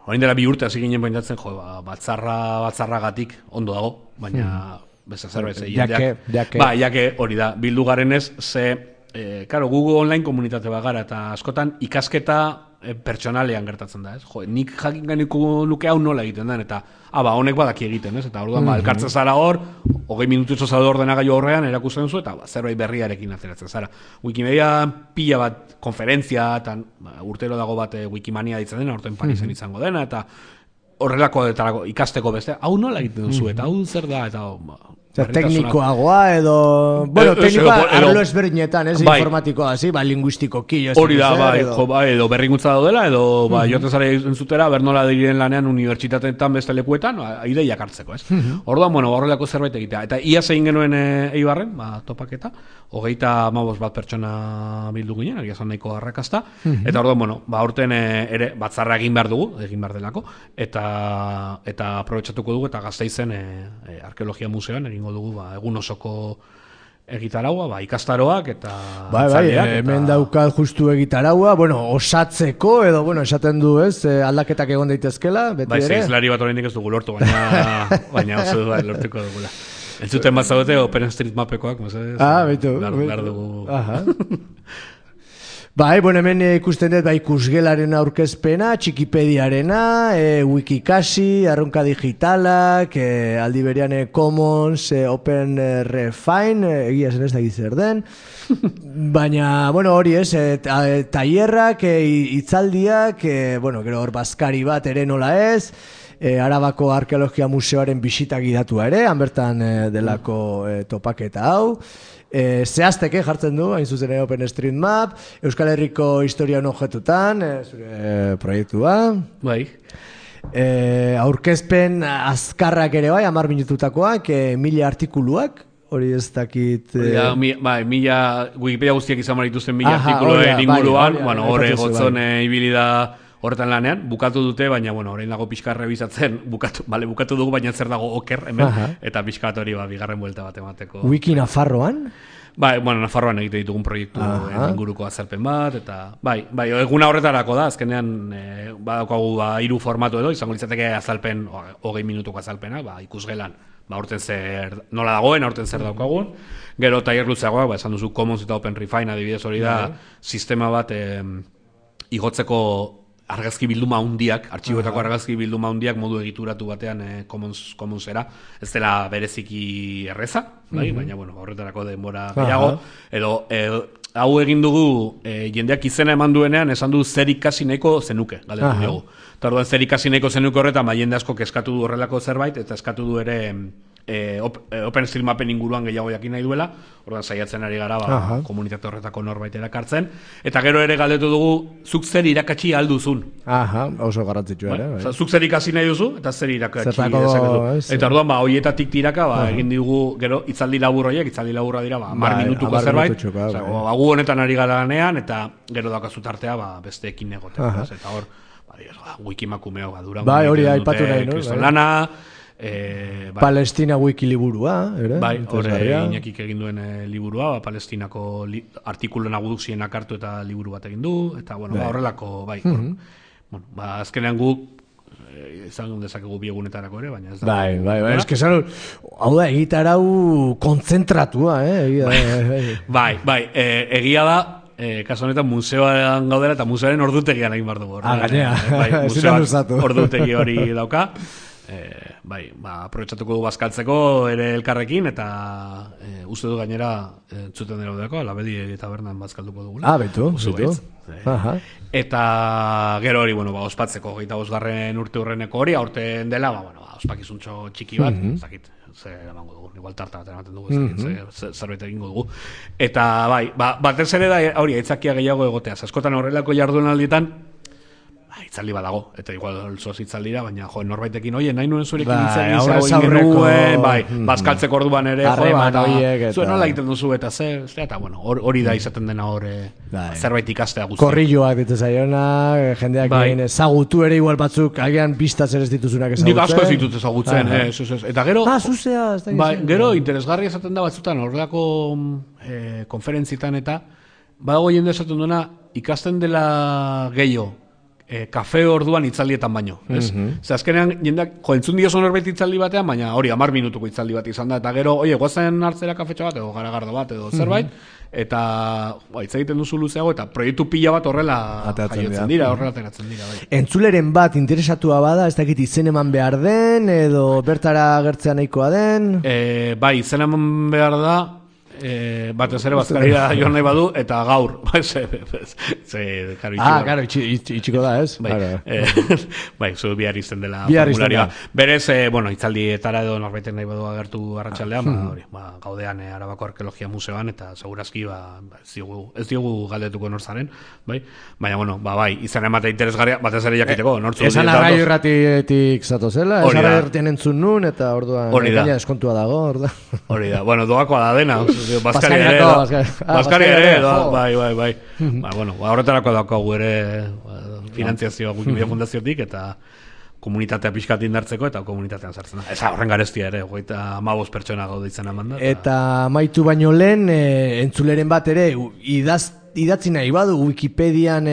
[SPEAKER 3] orain dela 2 urte hasi ginen pentsatzen, batzarragatik ondo dago, baina jake hori da, bildu garenez, karo, Google online komunitate bat gara, eta askotan ikasketa pertsonalean gertatzen da, ez? Nik jakin gainiko nuke hau nola egiten den, eta honek badaki egiten, ez? Eta orduan, elkartzen zara hor, 20 minututxo zara ordenagailu horrean, erakusten zu, eta zerbait berriarekin ateratzen zara. Wikimedia pila bat konferentzia, eta urtero dago bat Wikimania ditzen dena, orten Parisen izango dena, eta horrelako ikasteko beste, hau nola egiten duzu, eta hau zer da, eta
[SPEAKER 1] teknikoagoa edo... Bueno, teknikoa arlo ezberdinetan, ez? Informatikoa, linguistikoki.
[SPEAKER 3] Hori da, edo berrikuntza daudela, edo joten zara entzutera, bernola diren lanean unibertsitateetan beste lekuetan, ideiak hartzeko, ez? Orduan, bueno, horrelako zerbait egitea. Eta ia zein genuen Eibarren, topaketa, 35 bat pertsona bildu ginen, egia zan nahiko arrakasta, eta orduan, bueno, aurten ere batzarra egin behar dugu, egin behar delako, eta aprobetxatuko dugu, eta Gasteizen arkeologia museoan egin egingo dugu, egun osoko egitaraua, ikastaroak eta
[SPEAKER 1] hemen daukat justu egitaraua, osatzeko edo, esaten du, aldaketak egon daitezkela, beti ere.
[SPEAKER 3] Zeizlari bat oraindik ez dugu lortu, baina oso lortuko dugula. Entzuten bat zaudete OpenStreetMapekoak,
[SPEAKER 1] baitu.
[SPEAKER 3] Behar dugu.
[SPEAKER 1] Hemen ikusten dut ikusgelaren aurkezpena, Txikipediarena, Wikikasi, Arrunka Digitalak, aldi berean Commons, Open Refine, egia zen ez da zer den. Baina, hori tailerrak, hitzaldiak, gero hor bazkari bat ere nola ez, Arabako Arkeologia Museoaren bisita gidatua ere, han bertan delako topaketa hau. Zehazteke jartzen du, hain zuzen OpenStreetMap, Euskal Herriko historian objetutan, zure proiektua. Aurkezpen azkarrak ere 10 minututakoak, 1000 artikuluak, hori ez dakit...
[SPEAKER 3] 1000, Wikipedia guztiak izan marituzten 1000 artikuluen inguruan, horre gotzon ibili da horretan lanean, bukatu dute, baina, orain dago pixka rebizatzen, bukatu dugu, baina zer dago oker hemen, eta pixka hori bigarren buelta bat emateko.
[SPEAKER 1] Wiki Nafarroan?
[SPEAKER 3] Nafarroan egite ditugun proiektu inguruko azalpen bat, eta, eguna horretarako da, azkenean, badaukagu 3 formatu edo, izango litzateke azalpen, 20 minutuko azalpena, ikusgelan, aurten zer, nola dagoen, aurten zer daukagun, gero tailer luzeagoak, esan duzu Commons eta Open Refine, adibidez hori da, sistema bat igotzeko argazki bilduma handiak, artxiboetako argazki bilduma handiak modu egituratu batean Commonsera, ez dela bereziki erreza, baina horretarako denbora gehiago, edo hau egin dugu jendeak izena eman duenean esan du zer ikasi nahiko zenuke, galdetu dugu. Eta orduan zer ikasi nahiko zenuke horretan, jende asko eskatu du horrelako zerbait, eta eskatu du ere OpenStreetMapen inguruan gehiago jakin nahi duela, orduan saiatzen ari gara komunitate horretako norbait erakartzen, eta gero ere galdetu dugu zuk zer irakatsi alduzun.
[SPEAKER 1] Oso garrantzitsua ere.
[SPEAKER 3] Zuk zer ikasi nahi duzu, eta zer irakatsi dezakezu. Eta orduan horietatik tiraka egin digu gero hitzaldi labur horiek, hitzaldi laburra dira 10 minutuko zerbait, gu honetan ari gara lanean, eta gero daukazu tartea besteekin egotea. Eta hor, wikimakumeo badura.
[SPEAKER 1] Hori aipatu nahi,
[SPEAKER 3] Kristolana,
[SPEAKER 1] Palestina wiki liburua, ere?
[SPEAKER 3] Hore Iñakik egin duen liburua, Palestinako artikulu nagusienak hartu eta liburu bat egin du, eta horrelako, azkenean guk izan dezakegu biegunetarako ere, baina ez da.
[SPEAKER 1] Ez que hau da egitarau kontzentratua,
[SPEAKER 3] egia da, kasu honetan museoan gaudela eta museoaren ordutegian egin behar dugu.
[SPEAKER 1] Museoak
[SPEAKER 3] ordutegi hori dauka. Aprobetxatuko du bazkaltzeko ere elkarrekin, eta uste du gainera txuten dira dudako, Labedi eta Bernan bazkalduko dugula.
[SPEAKER 1] Betu.
[SPEAKER 3] Eta gero hori, ospatzeko 25. urte hurreneko hori, aurten dela, ospakizuntxo txiki bat, zakit, zer emango dugu, igual tarta bat ematen dugu, zerbait egingo dugu. Eta batez ere da, hori, aitzakia gehiago egotea, askotan horrelako jardunaldietan, itzaldi badago, eta igual zoz itzaldira, baina norbaitekin, nahi nuen zurekin itzaldi bazkaltzeko orduan ere, zuen nola egiten duzu, eta hori da izaten dena hor zerbait ikastea guztia.
[SPEAKER 1] Korrilloak ditu zaiona, jendeak ezagutu ere igual batzuk, agian pistaz ere ez dituzunak ezagutzen.
[SPEAKER 3] Nik asko ez ditut ezagutzen, eta gero,
[SPEAKER 1] gero
[SPEAKER 3] interesgarri esaten da batzutan, horrelako konferentzitan eta, badago jende esaten duena, ikasten dela gehiago, kafe orduan itzaldietan baino, ez? Azkenean, jendeak, entzun dio norbait itzaldi batean, baina hori 10 minutuko itzaldi bat izan da, eta gero, goazen hartzera kafetxo bat, edo garagardo bat, edo zerbait, eta hitz egiten duzu luzeago, eta proiektu pila bat horrela jaiotzen dira, horrela ateratzen dira.
[SPEAKER 1] Entzuleren bat interesatua bada, ez dakit izen eman behar den, edo bertara agertzea nahikoa den?
[SPEAKER 3] Izen eman behar da, batez ere bazkarira joan nahi badu, eta gaur.
[SPEAKER 1] Karo, itxiko da, ez?
[SPEAKER 3] Zu bihar izten dela formularioa. Berez, itzaldietara edo norbaiten nahi badu agertu arratsaldean, gaudean Arabako Arkeologia Museoan, eta segurazki ez diogu galdetuko norzaren, baina, izan ematea interesgarria, batez ere jakiteko, nortzu.
[SPEAKER 1] Esan arraio irratietik zatozela, esan arraio irratien entzun nun, eta orduan gaina eskontua dago,
[SPEAKER 3] hori da, doakoa da dena, Baskari ere, bai. Horretarako daukagu ere finantziazioa Wikimedia Fundaziotik, eta komunitatea pixkat indartzeko eta komunitatean sartzen da. Ez horren garestia ere, 15 pertsona gaude itzen eman da.
[SPEAKER 1] Eta maitu baino lehen, entzuleren bat ere, idatzi nahi badu, Wikipedian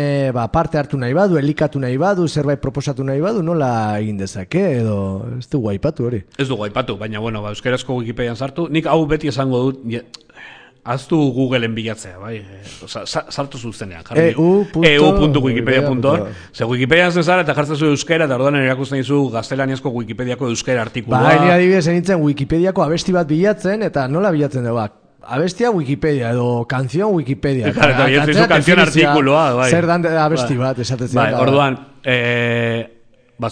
[SPEAKER 1] parte hartu nahi badu, elikatu nahi badu, zerbait proposatu nahi badu, nola egin dezake, edo ez dugu aipatu hori?
[SPEAKER 3] Ez dugu aipatu, baina, bueno, euskarazko Wikipedian sartu, nik hau beti esango dut, aztu Googleen bilatzea, bai? Sartu zuzenean. eu.wikipedia.org. Ze Wikipedian zezara eta jartzen zu euskera, eta orduan erakusten dizu gaztelaniazko Wikipediako euskera artikulua.
[SPEAKER 1] Ba, ni adibidez nintzen Wikipediako abesti bat bilatzen, eta nola bilatzen dugu, abestia Wikipedia, edo kanzion Wikipedia.
[SPEAKER 3] Eta kanzion artikulua, bai.
[SPEAKER 1] Zer dan abesti bat, esatetzen.
[SPEAKER 3] Bai, orduan,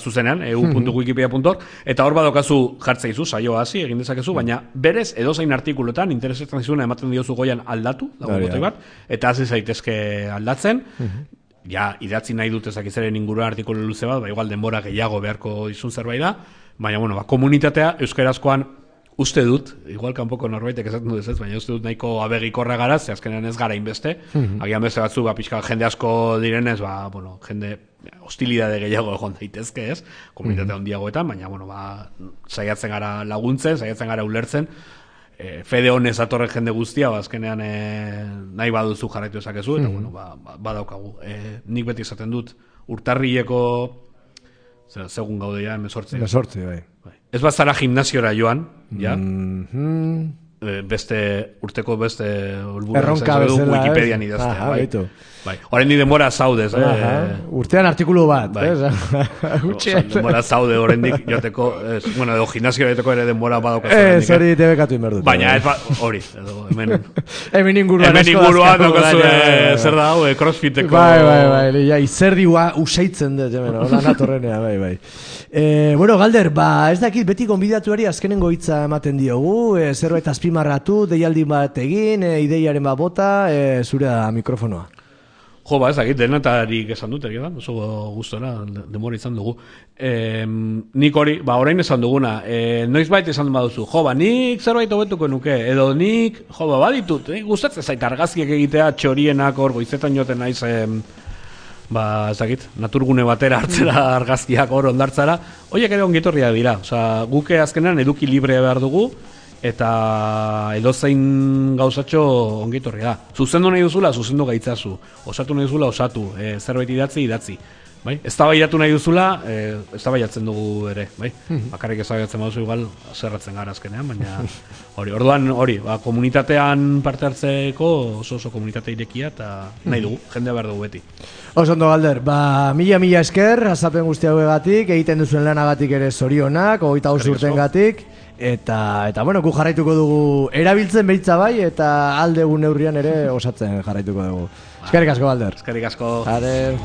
[SPEAKER 3] zuzenean, eu.wikipedia.org, eta hor badokazu jartzeizu, saioa hasi, egin dezakezu, baina berez edozein artikulotan, interesetan zizuna ematen diozu goian aldatu, dago botoi bat, eta hasi zaitezke aldatzen, ja, idatzi nahi dut ezakizaren inguruan artikulu luze bat, igual denbora gehiago beharko izun zerbait da, baina, bueno, komunitatea euskarazkoan uste dut, igual kanpoko norbaitek esaten dut ez, baina uste dut nahiko abegikorra gara, ze azkenean ez gara inbeste, agian beste batzu, pixka jende asko direnez, bueno, jende hostilidade gehiago egon daitezke ez, komunitate handiagoetan, baina, bueno, saiatzen gara laguntzen, saiatzen gara ulertzen, fede honez atorren jende guztia, azkenean nahi baduzu jarraitu ezakezu, eta, bueno, badaukagu. Nik beti esaten dut, urtarrileko, segun gaude ja, 18,
[SPEAKER 1] bai.
[SPEAKER 3] Ez bazara gimnasiora joan, ja, urteko beste
[SPEAKER 1] erronka bezala,
[SPEAKER 3] Wikipedian idaztea, bai. Horren di denbora zaudez,
[SPEAKER 1] urtean artikulu bat,
[SPEAKER 3] denbora zaude horrendik joteko, bueno, edo gimnasio joteko ere denbora badauka.
[SPEAKER 1] Hori tebekatu inberdut.
[SPEAKER 3] Baina, hori,
[SPEAKER 1] hemen inguruan
[SPEAKER 3] daukazu, zer da, crossfiteko.
[SPEAKER 1] Bai, izerdi usaitzen dut, hola natorrenea, bai. Bueno, Galder, ez dakit beti gonbidatuari azkenengo hitza ematen diogu, zerbait azpimarratu, deialdi bat egin, ideiaren bat bota, zure da mikrofonoa.
[SPEAKER 3] Jo, ez dakit, denatarik esan dut, oso gustora, demora izan dugu. Nik hori, orain esan duguna, noiz baita esan baduzu, nik zerbait hobetuko nuke, edo nik, baditut, gustatzen zait argazkiak egitea, txorienak hor, goizetan joten naiz, ez dakit, naturgune batera hartzera argazkiak hor ondartzara, horiek ere ongitorria dira, guke azkenean eduki libre behar dugu, eta edozein gauzatxo ongitorri da. Zuzendu nahi duzula, zuzendu gaitzazu. Osatu nahi duzula, osatu. Zerbait idatzi. Bai? Eztabaidatu nahi duzula, eztabaidatzen dugu ere. Bai? Bakarrik eztabaidatzen baduzu igual, zerratzen gara azkenean, baina orduan komunitatean parte hartzeko oso komunitate irekia eta nahi dugu, jendea behar dugu beti.
[SPEAKER 1] Oso ondo, Galder, mila esker, azapen guzti hauegatik, egiten duzuen lanagatik ere zorionak, 25 urtengatik. Eta bueno, gu jarraituko dugu erabiltzen behitza bai, eta aldegun neurrian ere osatzen jarraituko dugu. Eskerrik asko, Galder.
[SPEAKER 3] Eskerrik asko.
[SPEAKER 1] Adeu.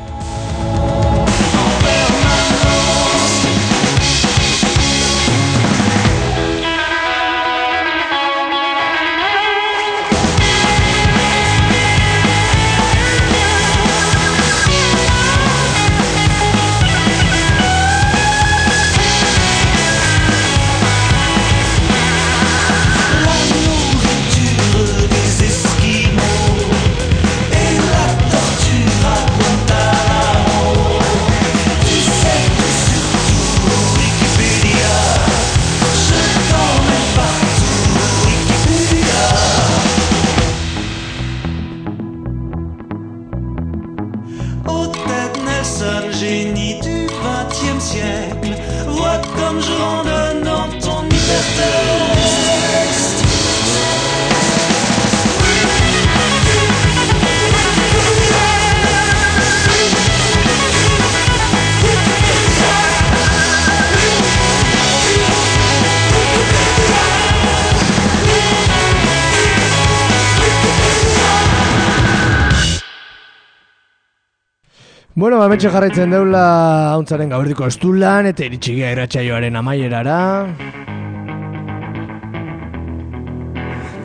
[SPEAKER 1] Bueno, metxe jarraitzen deula hauntzaren gauerdiko estulan, eta iritxigia irratsaioaren amaierara.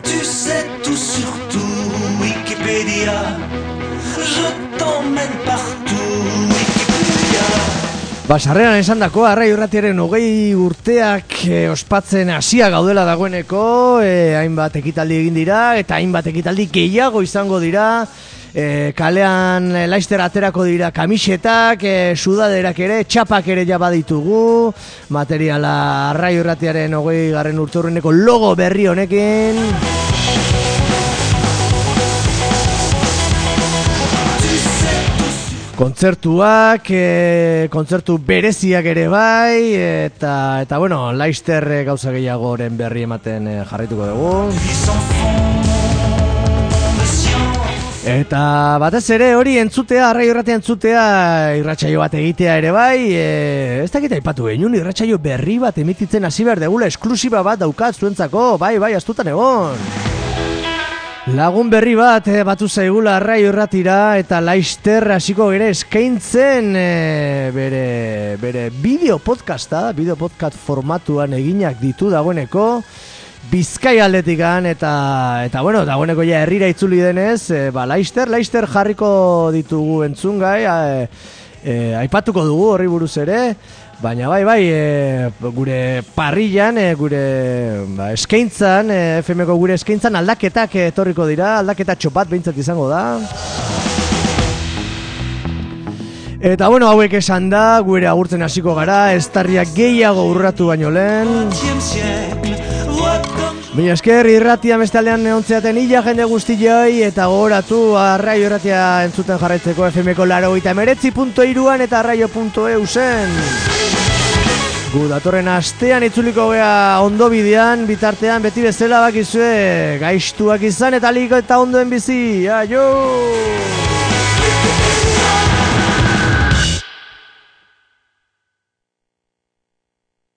[SPEAKER 4] Tu sais tout sur tout, Wikipedia. Je t'emmène partout, Wikipedia.
[SPEAKER 1] Sarreran esan dako, Arrai Irratiaren 20 urteak ospatzen hasia gaudela dagoeneko, hainbat ekitaldi egin dira, eta hainbat ekitaldi gehiago izango dira, Kalean Laster aterako dira kamisetak, sudaderak ere, txapak ere ja baditugu, materiala Arraio Irratiaren 20. urteurreneko logo berri honekin. Kontzertuak, kontzertu bereziak ere bai, eta bueno, Laster gauza gehiagoren berri ematen jarraituko dugu. Eta batez ere hori entzutea, Arraio Irratia entzutea, irratsaio bat egitea ere bai, ez dakit aipatu genuen, irratsaio berri bat emititzen hasi behar degula, esklusiba bat daukat zuentzako, bai, astutan egon. Lagun berri bat batu zaigula Arraio Irratira eta Laster hasiko ere eskaintzen bere bideo podcasta, bideo podcast formatuan eginak ditu dagoeneko Bizkaia aldetikan eta bueno, dagoeneko ja herrira itzuli denez, Laster jarriko ditugu entzungai, aipatuko dugu horri buruz ere. Baina bai, gure parrillan, gure eskaintzan, FM-ko gure eskaintzan aldaketak etorriko dira, aldaketa txopat behintzat izango da. Eta bueno, hauek esan da, gure agurtzen hasiko gara, estarriak gehiago urratu baino lehen. Baina esker irratia bestaldean eontzeaten illa jende guztioi eta gogoratu Arraio Irratia entzuten jarraitzeko FM-ko 89.3an eta arraio.eu zen. Gu datorren astean itzuliko gea ondo bidean, bitartean beti bezala bakizue gaiztuak izan eta liko eta ondoen bizi. Aio!